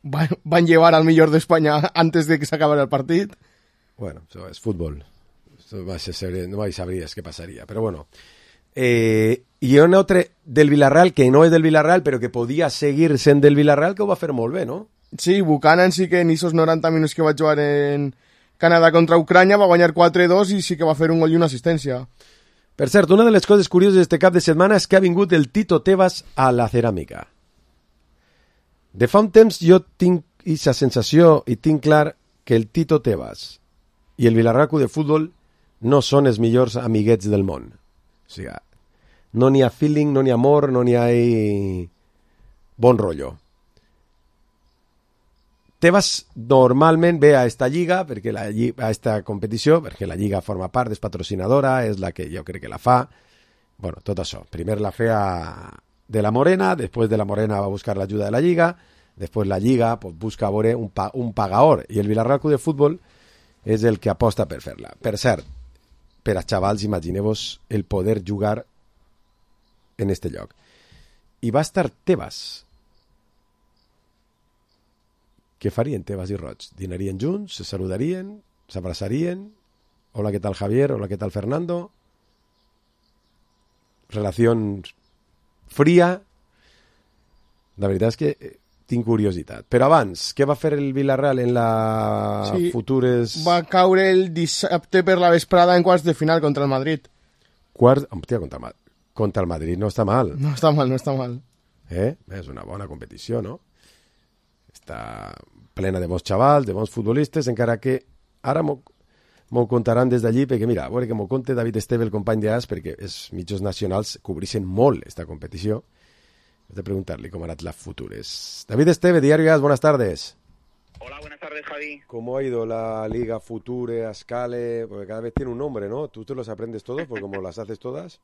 Van, van llevar al millor d'Espanya antes de que s'acabara el partit. Bueno, això és futbol. Això va ser, no mai sabries què passaria, però bueno. Eh, i un altre del Villarreal, que no és del Villarreal, però que podia seguir sent del Villarreal, que ho va fer molt bé, no? Sí, Buchanan sí que en esos noranta minuts que va jugar en Canadà contra Ucrània va guanyar quatre dos i sí que va fer un gol i una assistència. Per cert, una de les coses curioses d'este cap de setmana és que ha vingut el Tito Tebas a la ceràmica. De fa un temps jo tinc aquesta sensació, i tinc clar que el Tito Tebas i el Villarreal Club de Futbol no són els millors amiguets del món. O sigui, no n'hi ha feeling, no n'hi ha amor, no n'hi ha bon rotllo. Tebas normalment ve a esta lliga, perquè la, a esta competició, perquè la lliga forma part, és patrocinadora, és la que jo crec que la fa. Bueno, tot això. Primer la feia de la Morena, després de la Morena va buscar l'ajuda de la lliga, després la lliga pues, busca veure un, pa, un pagaor, i el Villarreal Club de Futbol és el que aposta per fer-la. Per cert, per a xavals, imagineu-vos el poder jugar en este lloc. I va estar Tebas. Què farien Tebas i Roig? Dinarien junts? Se saludarien? S'abraçarien? Hola, què tal Javier? Hola, què tal Fernando? Relació fria. La veritat és que tinc curiositat. Però abans, què va fer el Villarreal en la sí, futures... Va caure el dissabte per la vesprada en quarts de final contra el Madrid. Quarts... Hòstia, contra, contra el Madrid no està mal. No està mal, no està mal. Eh? És una bona competició, no? Està plena de bons xavals, de bons futbolistes, encara que ara m'ho contaran des d'allí, perquè mira, a veure que m'ho conte David Esteve, el company d'As, perquè els mitjans nacionals cobreixen molt esta competició. He de preguntarle cómo harán las futuras. David Esteve, Diario As, buenas tardes. Hola, buenas tardes, Javi. ¿Cómo ha ido la Liga Future, Ascale? Porque cada vez tiene un nombre, ¿no? ¿Tú te los aprendes todos? Porque como las haces todas.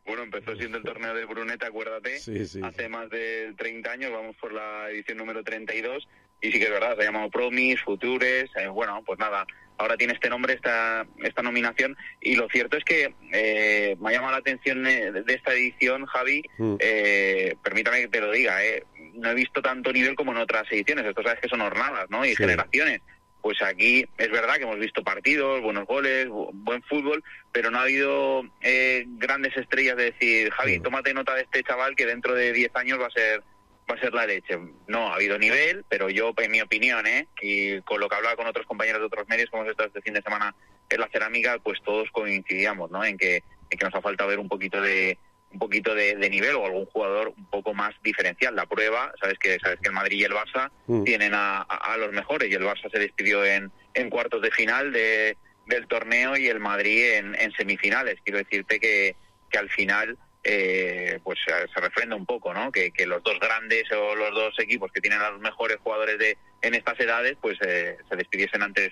Bueno, empezó siendo el torneo de Brunete, acuérdate. Sí, sí. Hace más de treinta años, vamos por la edición número treinta y dos. Y sí que es verdad, se ha llamado Promis, Futures. Eh, bueno, pues nada, ahora tiene este nombre, esta esta nominación. Y lo cierto es que eh, me ha llamado la atención de esta edición, Javi. Mm. Eh, permítame que te lo diga, eh. No he visto tanto nivel como en otras ediciones. Esto sabes que son jornadas, ¿no? Y sí. Generaciones. Pues aquí es verdad que hemos visto partidos, buenos goles, bu- buen fútbol, pero no ha habido eh, grandes estrellas de decir, Javi, mm. tómate nota de este chaval que dentro de diez años va a ser va a ser la leche. No, ha habido nivel, pero yo, en mi opinión, ¿eh? Y con lo que hablaba con otros compañeros de otros medios, como hemos estado este fin de semana en la cerámica, pues todos coincidíamos, ¿no? En que, en que nos ha faltado ver un poquito de un poquito de, de nivel o algún jugador un poco más diferencial. La prueba, sabes que sabes que el Madrid y el Barça mm. tienen a, a, a los mejores, y el Barça se despidió en, en cuartos de final de, del torneo y el Madrid en, en semifinales. Quiero decirte que, que al final eh, pues se refrenda un poco, ¿no? Que, que los dos grandes o los dos equipos que tienen a los mejores jugadores de en estas edades pues eh, se despidiesen antes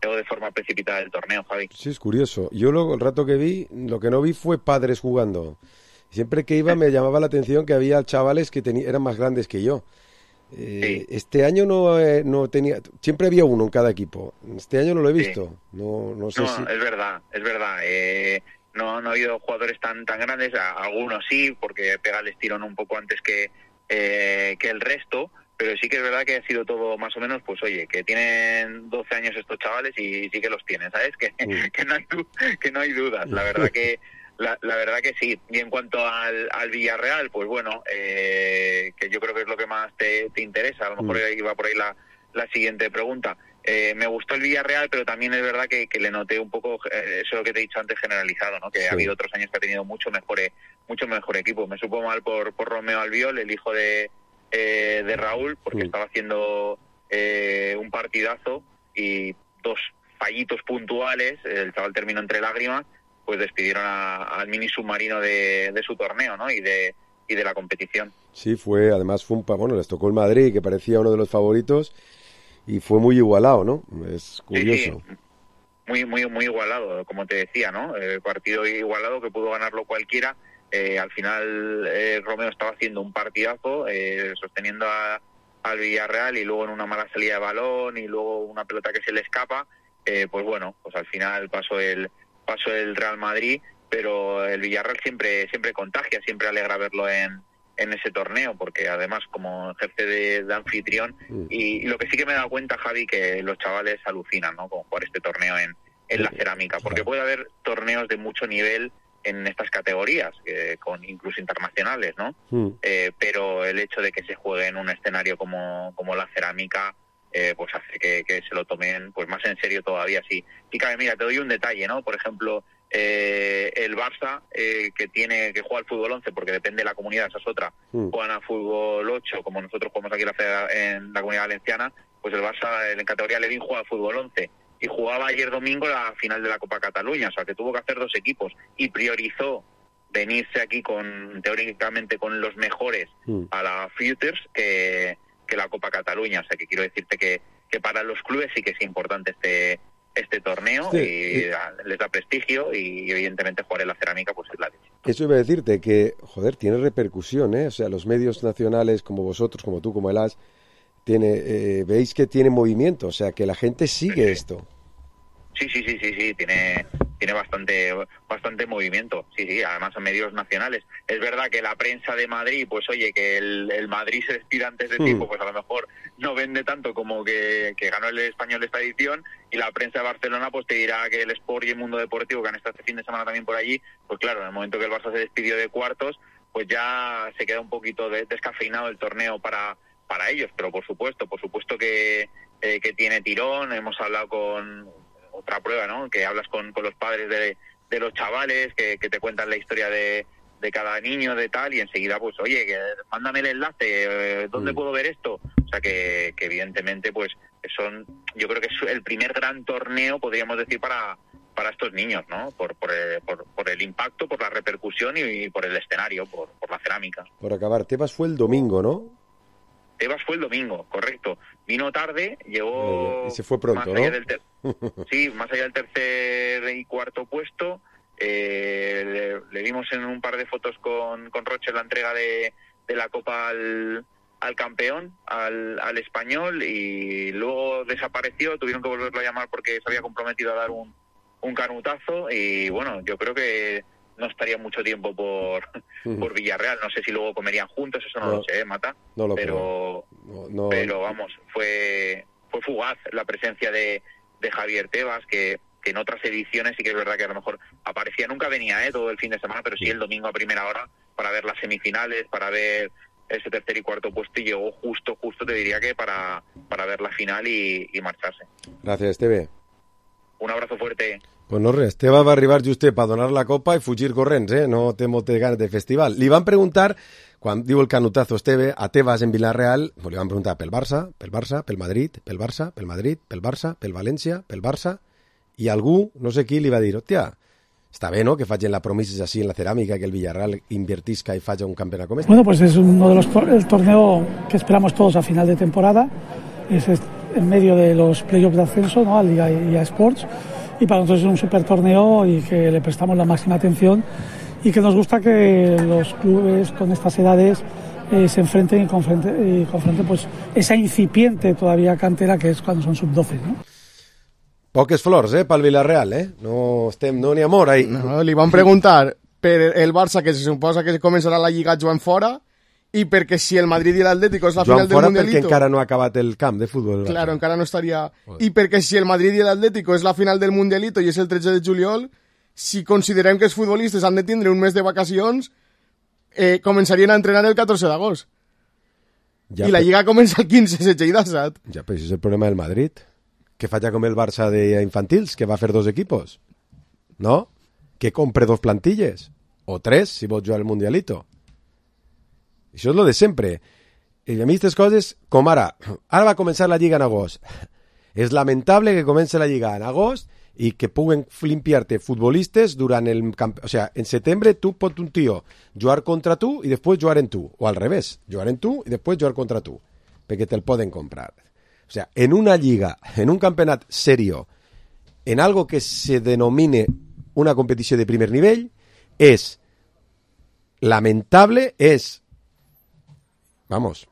o de forma precipitada del torneo, Javi. Sí, es curioso. Yo luego, el rato que vi, lo que no vi fue padres jugando. Siempre que iba me llamaba la atención que había chavales que teni- eran más grandes que yo. Eh, sí. Este año no, eh, no tenía... Siempre había uno en cada equipo. Este año no lo he visto. Sí. No, no sé no, si... es verdad, es verdad. Eh, no, no ha habido jugadores tan tan grandes. Algunos sí, porque pega el estirón un poco antes que, eh, que el resto. Pero sí que es verdad que ha sido todo más o menos, pues oye, que tienen doce años estos chavales y sí que los tienen, ¿sabes? Que, mm. que, no, hay, que no hay dudas. La verdad que... La, la verdad que sí. Y en cuanto al, al Villarreal, pues bueno, eh, que yo creo que es lo que más te, te interesa. A lo mejor mm. iba por ahí la, la siguiente pregunta. Eh, me gustó el Villarreal, pero también es verdad que, que le noté un poco eh, eso que te he dicho antes generalizado, ¿no? Que sí. Ha habido otros años que ha tenido mucho mejor, mucho mejor equipo. Me supo mal por, por Romeo Albiol, el hijo de, eh, de Raúl, porque mm. estaba haciendo eh, un partidazo y dos fallitos puntuales. El chaval terminó entre lágrimas. Pues despidieron a, al mini submarino de, de su torneo, ¿no? Y de y de la competición. Sí, fue, además fue un, bueno, les tocó el Madrid, que parecía uno de los favoritos, y fue muy igualado, ¿no? Es curioso. Sí, sí. Muy, muy, muy igualado, como te decía, ¿no? El partido igualado que pudo ganarlo cualquiera. Eh, al final eh, Romeo estaba haciendo un partidazo, eh, sosteniendo a, al Villarreal, y luego en una mala salida de balón, y luego una pelota que se le escapa, eh, pues bueno, pues al final pasó el pasó el Real Madrid, pero el Villarreal siempre siempre contagia, siempre alegra verlo en, en ese torneo, porque además como ejerce de, de anfitrión, mm. y, y lo que sí que me he dado cuenta, Javi, que los chavales alucinan, ¿no? Con jugar este torneo en, en la cerámica, porque puede haber torneos de mucho nivel en estas categorías, eh, con incluso internacionales, ¿no? Mm. Eh, pero el hecho de que se juegue en un escenario como, como la cerámica, Eh, pues hace que, que se lo tomen pues más en serio todavía. Sí, y cabe, mira, te doy un detalle, ¿no? Por ejemplo, eh, el Barça, eh, que tiene que juega al fútbol once, porque depende de la comunidad, esa es otra, mm. juegan al fútbol ocho, como nosotros jugamos aquí en la, en la Comunidad Valenciana, pues el Barça en categoría Levin juega al fútbol once. Y jugaba ayer domingo la final de la Copa Cataluña, o sea que tuvo que hacer dos equipos y priorizó venirse aquí con teóricamente con los mejores mm. a la Futures que, que la Copa Cataluña. O sea que quiero decirte que, que para los clubes sí que es importante este este torneo sí, y sí. les da prestigio y evidentemente jugar en la cerámica pues es la leche. Eso iba a decirte que, joder, tiene repercusión, ¿eh? O sea, los medios nacionales como vosotros, como tú, como el A S, tiene, eh, veis que tiene movimiento, o sea, que la gente sigue sí. esto. Sí, sí, sí, sí, sí, tiene tiene bastante bastante movimiento, sí, sí, además en medios nacionales. Es verdad que la prensa de Madrid, pues oye, que el, el Madrid se despida antes de tiempo, pues a lo mejor no vende tanto como que, que ganó el Español esta edición, y la prensa de Barcelona pues te dirá que el Sport y el Mundo Deportivo, que han estado este fin de semana también por allí, pues claro, en el momento que el Barça se despidió de cuartos, pues ya se queda un poquito de, descafeinado el torneo para para ellos, pero por supuesto, por supuesto que, eh, que tiene tirón. Hemos hablado con otra prueba, ¿no? Que hablas con, con los padres de, de los chavales, que, que te cuentan la historia de, de cada niño, de tal, y enseguida, pues, oye, que, mándame el enlace, eh, ¿dónde mm. puedo ver esto? O sea, que, que evidentemente, pues, son, yo creo que es el primer gran torneo, podríamos decir, para para estos niños, ¿no? Por por el, por, por el impacto, por la repercusión y, y por el escenario, por, por la cerámica. Por acabar, Tebas fue el domingo, ¿no? Tebas fue el domingo, correcto. Vino tarde, llegó... Y se fue pronto, más allá ¿no? Del ter... Sí, más allá del tercer y cuarto puesto. Eh, le, le vimos en un par de fotos con, con Roche la entrega de, de la Copa al, al campeón, al, al Español, y luego desapareció. Tuvieron que volverlo a llamar porque se había comprometido a dar un, un canutazo. Y bueno, yo creo que no estaría mucho tiempo por, uh-huh. por Villarreal. No sé si luego comerían juntos, eso no, no lo sé, ¿eh, Mata? No lo pero, no, no, pero vamos, fue fue fugaz la presencia de, de Javier Tebas, que, que en otras ediciones sí que es verdad que a lo mejor aparecía, nunca venía ¿eh? todo el fin de semana, pero sí el domingo a primera hora para ver las semifinales, para ver ese tercer y cuarto puesto, y llegó justo, justo te diría que para, para ver la final y, y marcharse. Gràcies, Esteve. Un abrazo fuerte. Pues no res, Esteve va arribar justet per donar la copa i fugir corrents, eh? No té moltes ganes de festival. Li van preguntar, quan diu el canutazo Esteve, a Tebas en Villarreal, pues li van preguntar pel Barça, pel Barça, pel Madrid, pel Barça, pel Madrid, pel Barça, pel València, pel Barça, i algú, no sé qui, li va dir, hòstia, està bé, ¿no?, que facin la promises así en la ceràmica, que el Villarreal invertisca y faci un campeonato como este. Bueno, pues es uno de los el torneo que esperamos todos a final de temporada, es en medio de los playoffs de ascenso, ¿no?, a Liga y a Sports, y para nosotros es un super torneo y que le prestamos la máxima atención y que nos gusta que los clubes con estas edades eh, se enfrenten y confronten, y confronten pues esa incipiente todavía cantera que es cuando son sub doce, ¿no? Poques flors, eh, pel Villarreal, eh? No estem, no n'hi amor, ahí. No, li van preguntar per el Barça, que se suposa que començarà la Lliga jugant fora, i perquè si el Madrid i l'Atlético és la Joan final del fora Mundialito... perquè encara no ha acabat el camp de futbol. Claro, encara no estaria... I perquè si el Madrid i l'Atlético és la final del Mundialito i és el tretze de juliol, si considerem que els futbolistes han de tindre un mes de vacacions, eh, començarien a entrenar el catorze d'agost. Ja, I la Lliga comença el quinze, setze i disset. Ja, però això és el problema del Madrid. Que falla com el Barça de infantils, que va fer dos equipos. No? Que compre dos plantilles. O tres, si vols jugar al Mundialito. Això és lo de sempre. I a mi aquestes coses, com ara, ara va començar la Lliga en agost. És lamentable que comenci la Lliga en agost i que puguen limpiar-te futbolistes durant el camp... O sea, en setembre tu pot un tio jugar contra tu i després jugar en tu. O al revés, jugar en tu i després jugar contra tu. Perquè te'l poden comprar. O sea, en una lliga, en un campeonato serio, en algo que se denomine una competición de primer nivel, es lamentable, es, vamos,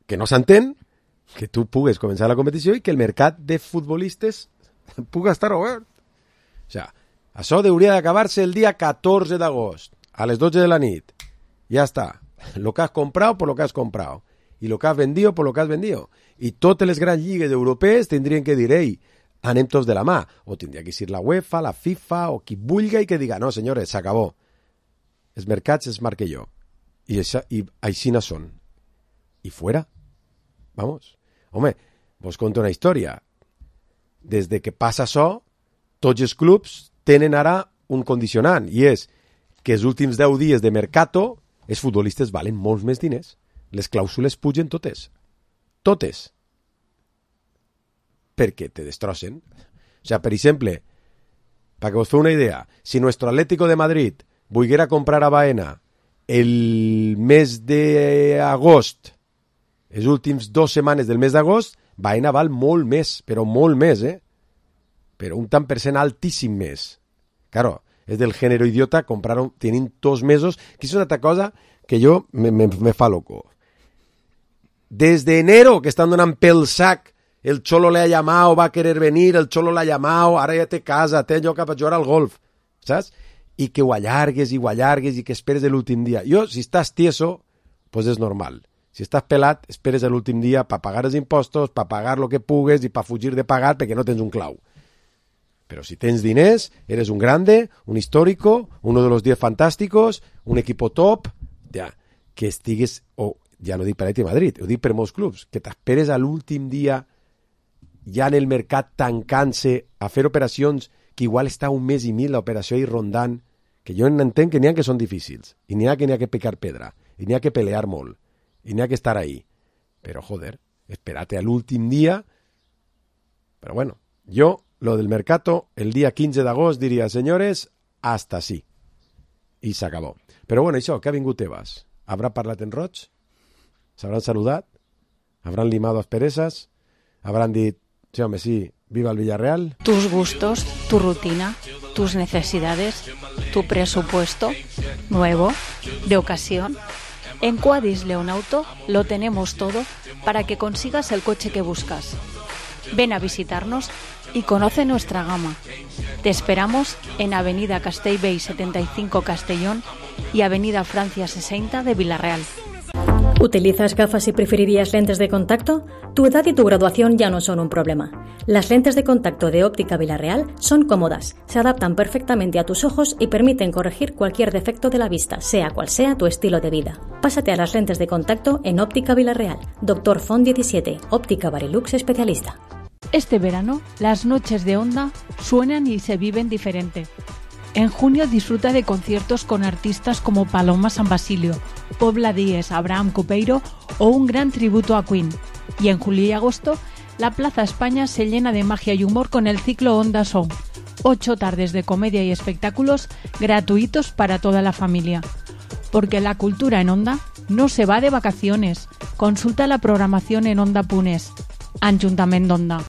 que no s'entén que tu pugues començar la competició i que el mercat de futbolistes puga estar obert. O sea, això hauria d'acabar-se el dia catorze d'agost, a les dotze de la nit. Ja està. Lo que has comprado por lo que has comprado. I lo que has vendido por lo que has vendido. I totes les grans lligues europees tindrien que dir, ei, anem tots de la mà. O tindria que ser la UEFA, la FIFA, o qui vulgui i que diga, no, senyores, s'acabó. Els mercats els marque jo. I, això, i així no són. I fuera. Vamos. Home, vos conto una història. Des de que passa això, tots els clubs tenen ara un condicionant, i és que els últims deu dies de mercato els futbolistes valen molts més diners. Les clàusules pugen totes. Totes. Perquè te destrossen. O sea, per exemple, para que os feu una idea, si nuestro Atlético de Madrid volguera comprar a Baena el mes d'agost, les últims dues setmanes del mes d'agost, Baena val molt més, però molt més, eh? Però un tant per cent altíssim més. Claro, és del género idiota, compraron, tienen dos mesos, que es una altra cosa que yo me, me, me fa loco. Desde enero que están donant pel sac, el Cholo le ha llamado, va a querer venir, el Cholo le ha llamado, ara ja té casa, té lloc per jugar al golf, saps? I que ho allargues i ho allargues i que esperes l'últim dia. Jo, si estàs tieso, pues és normal. Si estàs pelat, esperes l'últim dia per pagar els impostos, per pagar lo que pugues i per fugir de pagar perquè no tens un clau. Pero si tens diners, eres un grande, un histórico, uno de los diez fantásticos, un equipo top, ja, que estigues, o ja no dic per Atleti Madrid, ho dic per molts clubs, que t'esperes a l'últim dia ja en el mercat tancant-se a fer operacions que igual està un mes i mil l'operació i rondant, que jo entenc que n'hi ha que són difícils, i n'hi ha que n'hi ha que picar pedra, i n'hi ha que pelear molt, i n'hi ha que estar ahí. Però, joder, espérate a l'últim dia. Però bueno, jo, lo del mercato, el día quinze d'agost diria, senyores, hasta sí. I s'acabó. Però bueno, això, que ha vingut Tebas? Habrà parlat en roig? S'hauran saludat? Habrán limado asperezas? Habrán dit, sí, home, sí, viva el Villarreal? Tus gustos, tu rutina, tus necesidades, tu presupuesto, nuevo, de ocasión. En Quadis León Auto lo tenemos todo para que consigas el coche que buscas. Ven a visitarnos y conoce nuestra gama. Te esperamos en Avenida Castellbell setenta y cinco Castellón y Avenida Francia sesenta de Villarreal. ¿Utilizas gafas y preferirías lentes de contacto? Tu edad y tu graduación ya no son un problema. Las lentes de contacto de Óptica Villarreal son cómodas, se adaptan perfectamente a tus ojos y permiten corregir cualquier defecto de la vista, sea cual sea tu estilo de vida. Pásate a las lentes de contacto en Óptica Villarreal. Doctor Font diecisiete, Óptica Barilux especialista. Este verano, las noches de Onda suenan y se viven diferente. En junio disfruta de conciertos con artistas como Paloma San Basilio, Pobla Díez, Abraham Copeiro o un gran tributo a Queen. Y en julio y agosto, la Plaza España se llena de magia y humor con el ciclo Onda Song. Ocho tardes de comedia y espectáculos gratuitos para toda la familia. Porque la cultura en Onda no se va de vacaciones. Consulta la programación en Onda Punés. Ajuntament d'Onda.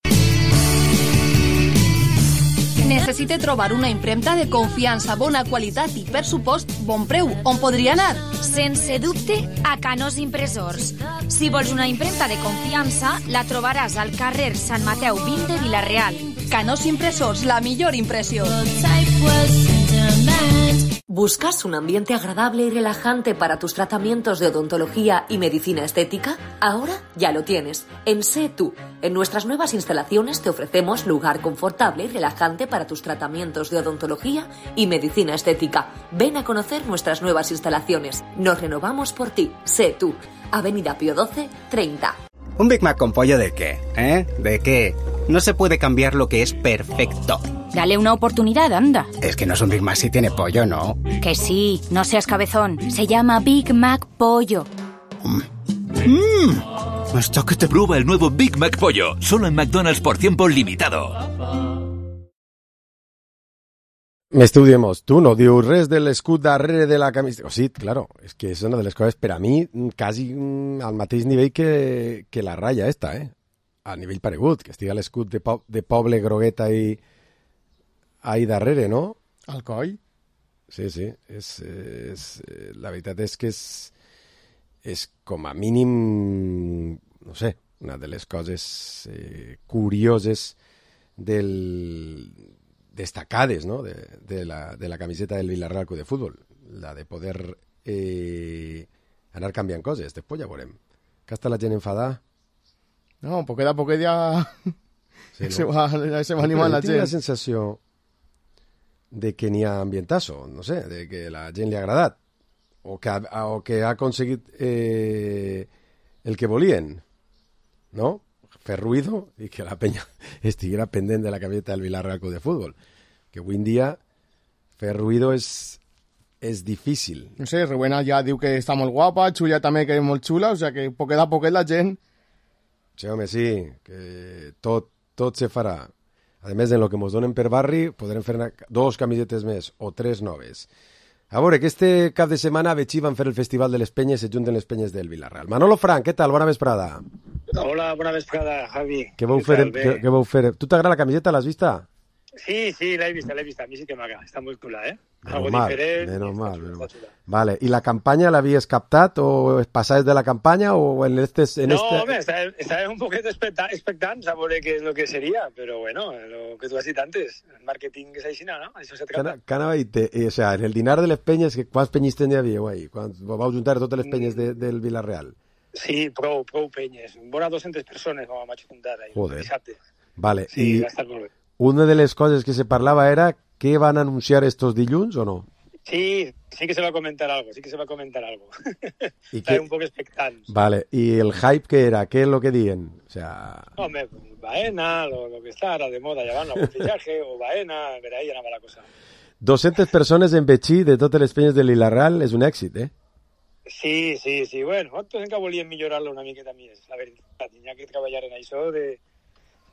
Necessite trobar una impremta de confiança, bona qualitat i, per supost, bon preu. On podria anar? Sense dubte, a Canós Impressors. Si vols una impremta de confiança, la trobaràs al carrer Sant Mateu vint de Vila-real. Canós Impressors, la millor impressió. ¿Buscas un ambiente agradable y relajante para tus tratamientos de odontología y medicina estética? Ahora ya lo tienes. En Sé Tú. En nuestras nuevas instalaciones te ofrecemos lugar confortable y relajante para tus tratamientos de odontología y medicina estética. Ven a conocer nuestras nuevas instalaciones. Nos renovamos por ti. Sé Tú. Avenida Pío doce, treinta. ¿Un Big Mac con pollo de qué? ¿Eh? ¿De qué? No se puede cambiar lo que es perfecto. Dale una oportunidad, anda. Es que no es un Big Mac si tiene pollo, ¿no? Que sí, no seas cabezón. Se llama Big Mac Pollo. Mmm, hasta que te prueba el nuevo Big Mac Pollo. Solo en McDonald's por tiempo limitado. Estudiemos. Tu no dius res de l'escut darrere de la camiseta. Oh, sí, claro, és que és una de les coses per a mi quasi al mateix nivell que, que la ratlla esta, eh? A nivell paregut, que estiga l'escut de, po de poble grogueta i ahí darrere, no? Al coll? Sí, sí. És, és, la veritat és que és, és com a mínim, no sé, una de les coses eh, curioses del... destacades, ¿no? de, de, la, de la camiseta del Villarreal Club de Fútbol, la de poder eh, anar canviant coses. Després ja veurem. Que està la gent enfadada? No, poquet a poquet ja sí, se, no? va, se va animant la gent. Tinc la sensació de que n'hi ha ambientazo, no sé, de que la gent li ha agradat o que ha, o que ha aconseguit eh, el que volien, no? Fer ruido i que la penya estiguera pendent de la camiseta del Villarreal Club de Fútbol. que avui en dia fer ruido és, és difícil. No sé, Rowena ja diu que està molt guapa, Xulla també que és molt xula, o sea que poquet a poquet la gent... Sí, home, sí, que tot, tot se farà. A més, en el que ens donen per barri, podrem fer dos camisetes més o tres noves. A veure, que este cap de setmana a Betxí van fer el Festival de les Penyes, se junten les penyes del Vilarreal. Manolo Frank, què tal? Bona vesprada. Hola, bona vesprada, Javi. Què vau fer? Què, què vau fer? Tu t'agrada la camiseta? L'has vista? Sí, sí, l'he vista, l'he vista. A mi sí que m'agrada. Està molt xula, eh? Algo diferent. Menos mal, menos mal. Vale, ¿y la campaña la habías captado o pasáis de la campaña o en este... En no, este... home, estava, estava un poquet expectant a veure què és el que seria, però bueno, lo que tu has dit antes, el màrqueting és així, no? Això se trata. Canava i te, o sea, en el dinar de les penyes, quants penyistes n'hi havia, guai? Quan vau juntar totes les penyes de, del Vilarreal? Sí, prou, prou penyes. Vora dues-centes persones vam juntar ahí, Joder. Dissabte. Vale, sí, i va estar molt bé. Una de les coses que se parlava era que van a anunciar estos dilluns o no? Sí, sí que se va a comentar algo, sí que se va a comentar algo. ¿Y Estaba qué? un poco expectante. Vale, ¿y el hype qué era? ¿Qué es lo que dicen? O sea... Hombre, Baena, lo, lo que está ahora de moda, ya van a un fichaje, o Baena, pero ahí anava la cosa. dues-centes persones en Betxí de totes les penyes de Vilarreal és un èxit, eh? Sí, sí, sí, bueno, nosaltres encara volíem millorar-lo una miqueta més, la veritat, hi ha que treballar en això de,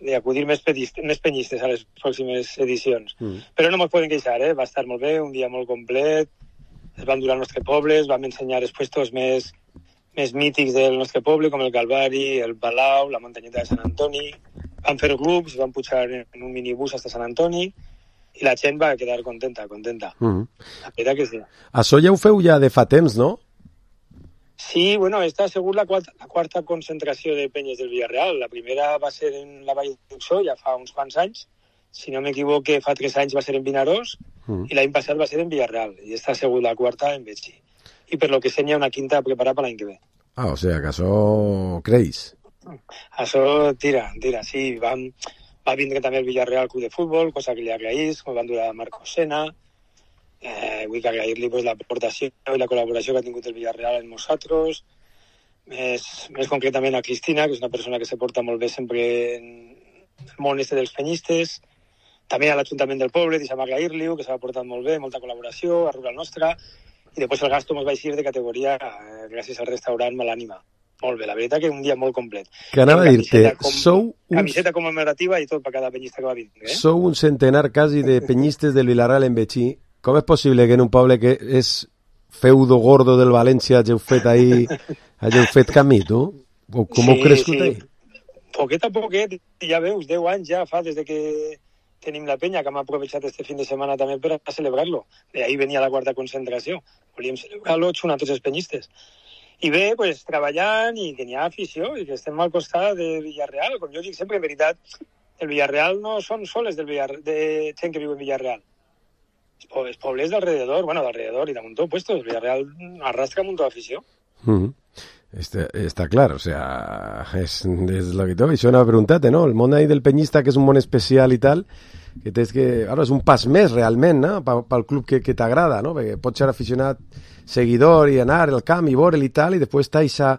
de acudir més, pedistes, més penyistes a les pròximes edicions. Mm. Però no ens podem queixar, eh? Va estar molt bé, un dia molt complet, es van dur al nostre poble, es van ensenyar els puestos més, més mítics del nostre poble, com el Calvari, el Palau, la muntanyeta de Sant Antoni, van fer grups, van pujar en un minibús fins a Sant Antoni, i la gent va quedar contenta, contenta. Mm. La veritat que sí. Això ja ho feu ja de fa temps, no? Sí, bueno, esta ha sigut la quarta, la quarta concentració de penyes del Villarreal. La primera va ser en la Vall d'Uxó, ja fa uns quants anys. Si no m'equivoque, fa tres anys va ser en Vinaròs mm. i l'any passat va ser en Villarreal. I esta ha sigut la quarta en Betxí. I per lo que sé n'hi ha una quinta preparada per l'any que ve. Ah, o sea, que això creix. Això tira, tira, sí. Vam, va vindre també el Villarreal Club de Futbol, cosa que li agraïs, com van dur a Marco Sena. Eh, vull que agrair-li pues, l'aportació i la col·laboració que ha tingut el Villarreal amb nosaltres, més, més concretament a Cristina, que és una persona que se porta molt bé sempre en el món este dels penyistes, també a l'Ajuntament del poble, deixa'm agrair-li-ho, que s'ha portat molt bé, molta col·laboració, a Rural Nostra, i després el gasto ens va eixir de categoria eh, gràcies al restaurant Malànima. Molt bé, la veritat que un dia molt complet. Que anava a dir-te, com, sou... Un... Camiseta commemorativa i tot per cada penyista que va vindre. Eh? Sou un centenar quasi de penyistes del Vilarreal en Betxí. Com és possible que en un poble que és feudo gordo del València hageu fet ahí, hageu fet camí, tu? O com sí, heu crescut sí. ahí? Poquet a poquet, ja veus, deu anys ja fa des de que tenim la penya, que hem aprovechat este fin de setmana també per a celebrar-lo. De ahí venia la quarta concentració. Volíem celebrar-lo xunt a tots els penyistes. I bé, pues, treballant i que n'hi ha afició i que estem al costat de Villarreal. Com jo dic sempre, en veritat, el Villarreal no són soles del Villarreal, de gent que viu en Villarreal. Els pobles d'alrededor, bueno, d'alrededor i de muntó puestos, el Villarreal arrastra muntó d'afició. Mm-hmm. Está, está claro, o sea, es, es lo que todo, això anava a preguntar-te, no? El món ahí del penyista, que és un món especial i tal, que tens que... Ara és un pas més, realment, no? Pel club que, que t'agrada, no? Perquè pots ser aficionat, seguidor, i anar al camp i veure'l i tal, i després t'haix a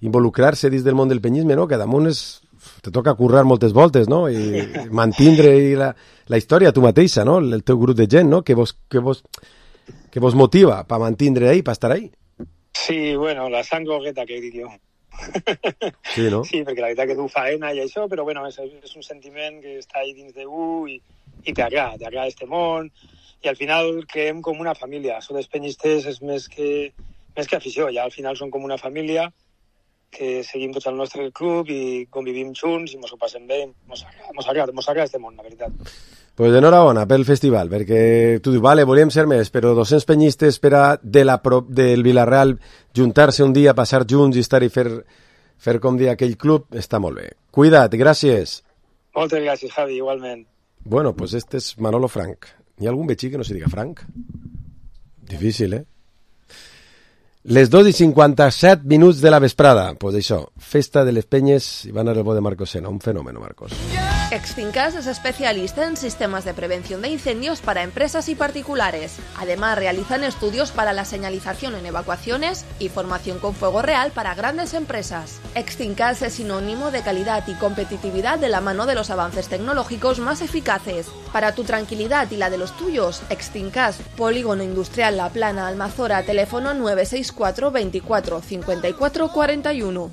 involucrar-se dins del món del penyisme, no? Que damunt és... te toca currar moltes voltes, no? I mantindre i la, la història tu mateixa, no? El teu grup de gent, no? Que vos, que vos, que vos motiva per mantindre ahí, per estar ahí. Sí, bueno, la sang gogueta que dic jo. Sí, no? Sí, perquè la veritat que tu faena i això, però bueno, és, és un sentiment que està ahí dins de u i, i t'agrada, t'agrada este món, i al final creem com una família. Això dels penyistes és més que, més que afició, ja al final són com una família que seguim tots al nostre club i convivim junts i mos ho passem bé, mos agrada, mos agrada, mos agrada este món, la veritat. Pues enhorabona pel festival, perquè tu dius, vale, volíem ser més, però dos-cents penyistes per a de la pro, del Vilarreal juntar-se un dia, passar junts i estar i fer, fer com dir aquell club, està molt bé. Cuida't, gràcies. Moltes gràcies, Javi, igualment. Bueno, pues este és Manolo Frank. Hi ha algun betxí que no se diga Frank? Difícil, eh? Les dos i cinquanta-set minuts de la vesprada. Pues això, festa de les penyes i van a el bo de Marcos Sena. Un fenomen, Marcos. Yeah! Extincas es especialista en sistemas de prevención de incendios para empresas y particulares. Además, realizan estudios para la señalización en evacuaciones y formación con fuego real para grandes empresas. Extincas es sinónimo de calidad y competitividad de la mano de los avances tecnológicos más eficaces. Para tu tranquilidad y la de los tuyos, Extincas, Polígono Industrial La Plana, Almazora, teléfono nueve seis cuatro veinticuatro cincuenta y cuatro cuarenta y uno.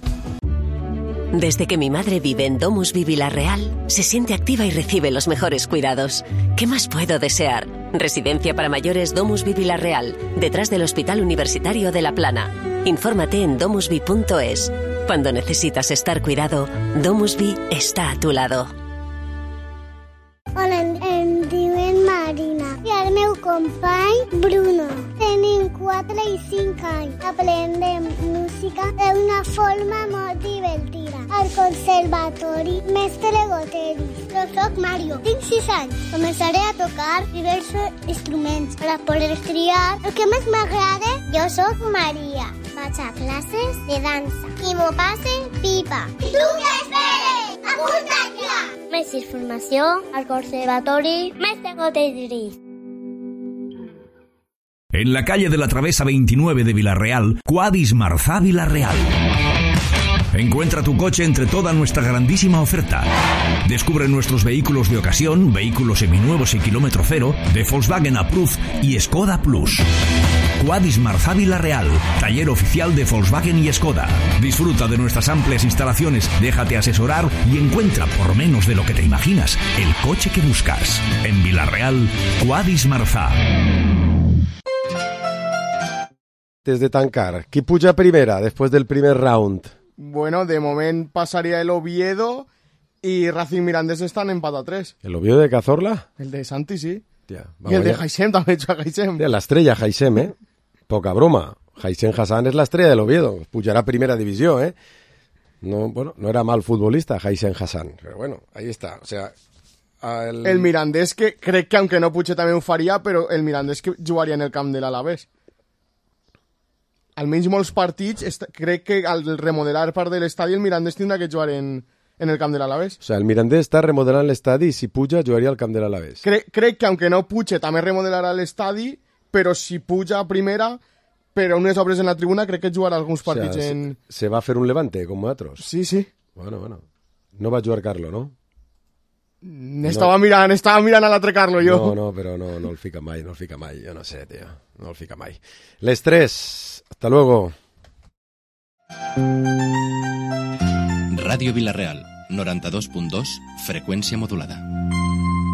Desde que mi madre vive en DomusVi Vilarreal, se siente activa y recibe los mejores cuidados. ¿Qué más puedo desear? Residencia para mayores DomusVi Vilarreal, detrás del Hospital Universitario de La Plana. Infórmate en domusvi punto es. Cuando necesitas estar cuidado, DomusVi está a tu lado. Hola, em diuen Marina i el meu company Bruno. Tenim quatre i cinc anys. Aprendem música d'una forma molt divertida. Al conservatori Mestre Goteris. Jo soc Mario, tinc sis anys. Començaré a tocar diversos instruments per a poder triar el que més m'agrada. Jo soc Maria. Vaig a classes de dansa i m'ho passe pipa. I tu què esperes? Apunta't ja! Més informació al Conservatori Mestre Goteris. En la calle de la Travesa veintinueve de Vilarreal, Quadis Marzá Vilarreal. Encuentra tu coche entre toda nuestra grandísima oferta. Descubre nuestros vehículos de ocasión, vehículos seminuevos y kilómetro cero, de Volkswagen Approved y Skoda Plus. Quadis Marzá Vilarreal, taller oficial de Volkswagen y Skoda. Disfruta de nuestras amplias instalaciones, déjate asesorar y encuentra, por menos de lo que te imaginas, el coche que buscas. En Vilarreal, Quadis Marzá. Desde tancar, ¿qui puja primera después del primer round? Bueno, de moment passaria el Oviedo y Racing Mirandés están en empate a tres. ¿El Oviedo de Cazorla? El de Santi, sí. Tía, y el de Haisem también, hecho a Haisem. La estrella Haisem, ¿eh? Poca broma. Haisem Hassan es la estrella del Oviedo. Pujará primera división, ¿eh? No, bueno, no era mal futbolista Haisem Hassan, pero bueno, ahí está. O sea, el... el Mirandés que cree que aunque no puche también faria, pero el Mirandés que jugaria en el camp de l'Alavés. Almenys molts partits, crec que al remodelar part de l'estadi el Mirandés tindrà que jugar en, en el camp de l'Alavés. O sea, el Mirandés està remodelant l'estadi i si puja jugaria al camp de l'Alavés. Cre crec que aunque no puche també remodelarà l'estadi, però si puja a primera, però unes obres en la tribuna, crec que jugarà alguns partits, o sea, en... Se, se va a fer un Levante, com altres. Sí, sí. Bueno, bueno. No va jugar Carlo, no? Estava, no. mirant, estava mirant a l'altre Carlo, jo. No, no, però no, no el fica mai, no el fica mai. Jo no sé, tio. No el fica mai. Les tres. Hasta luego. Radio Vilarreal, noranta-dos punt dos, freqüència modulada.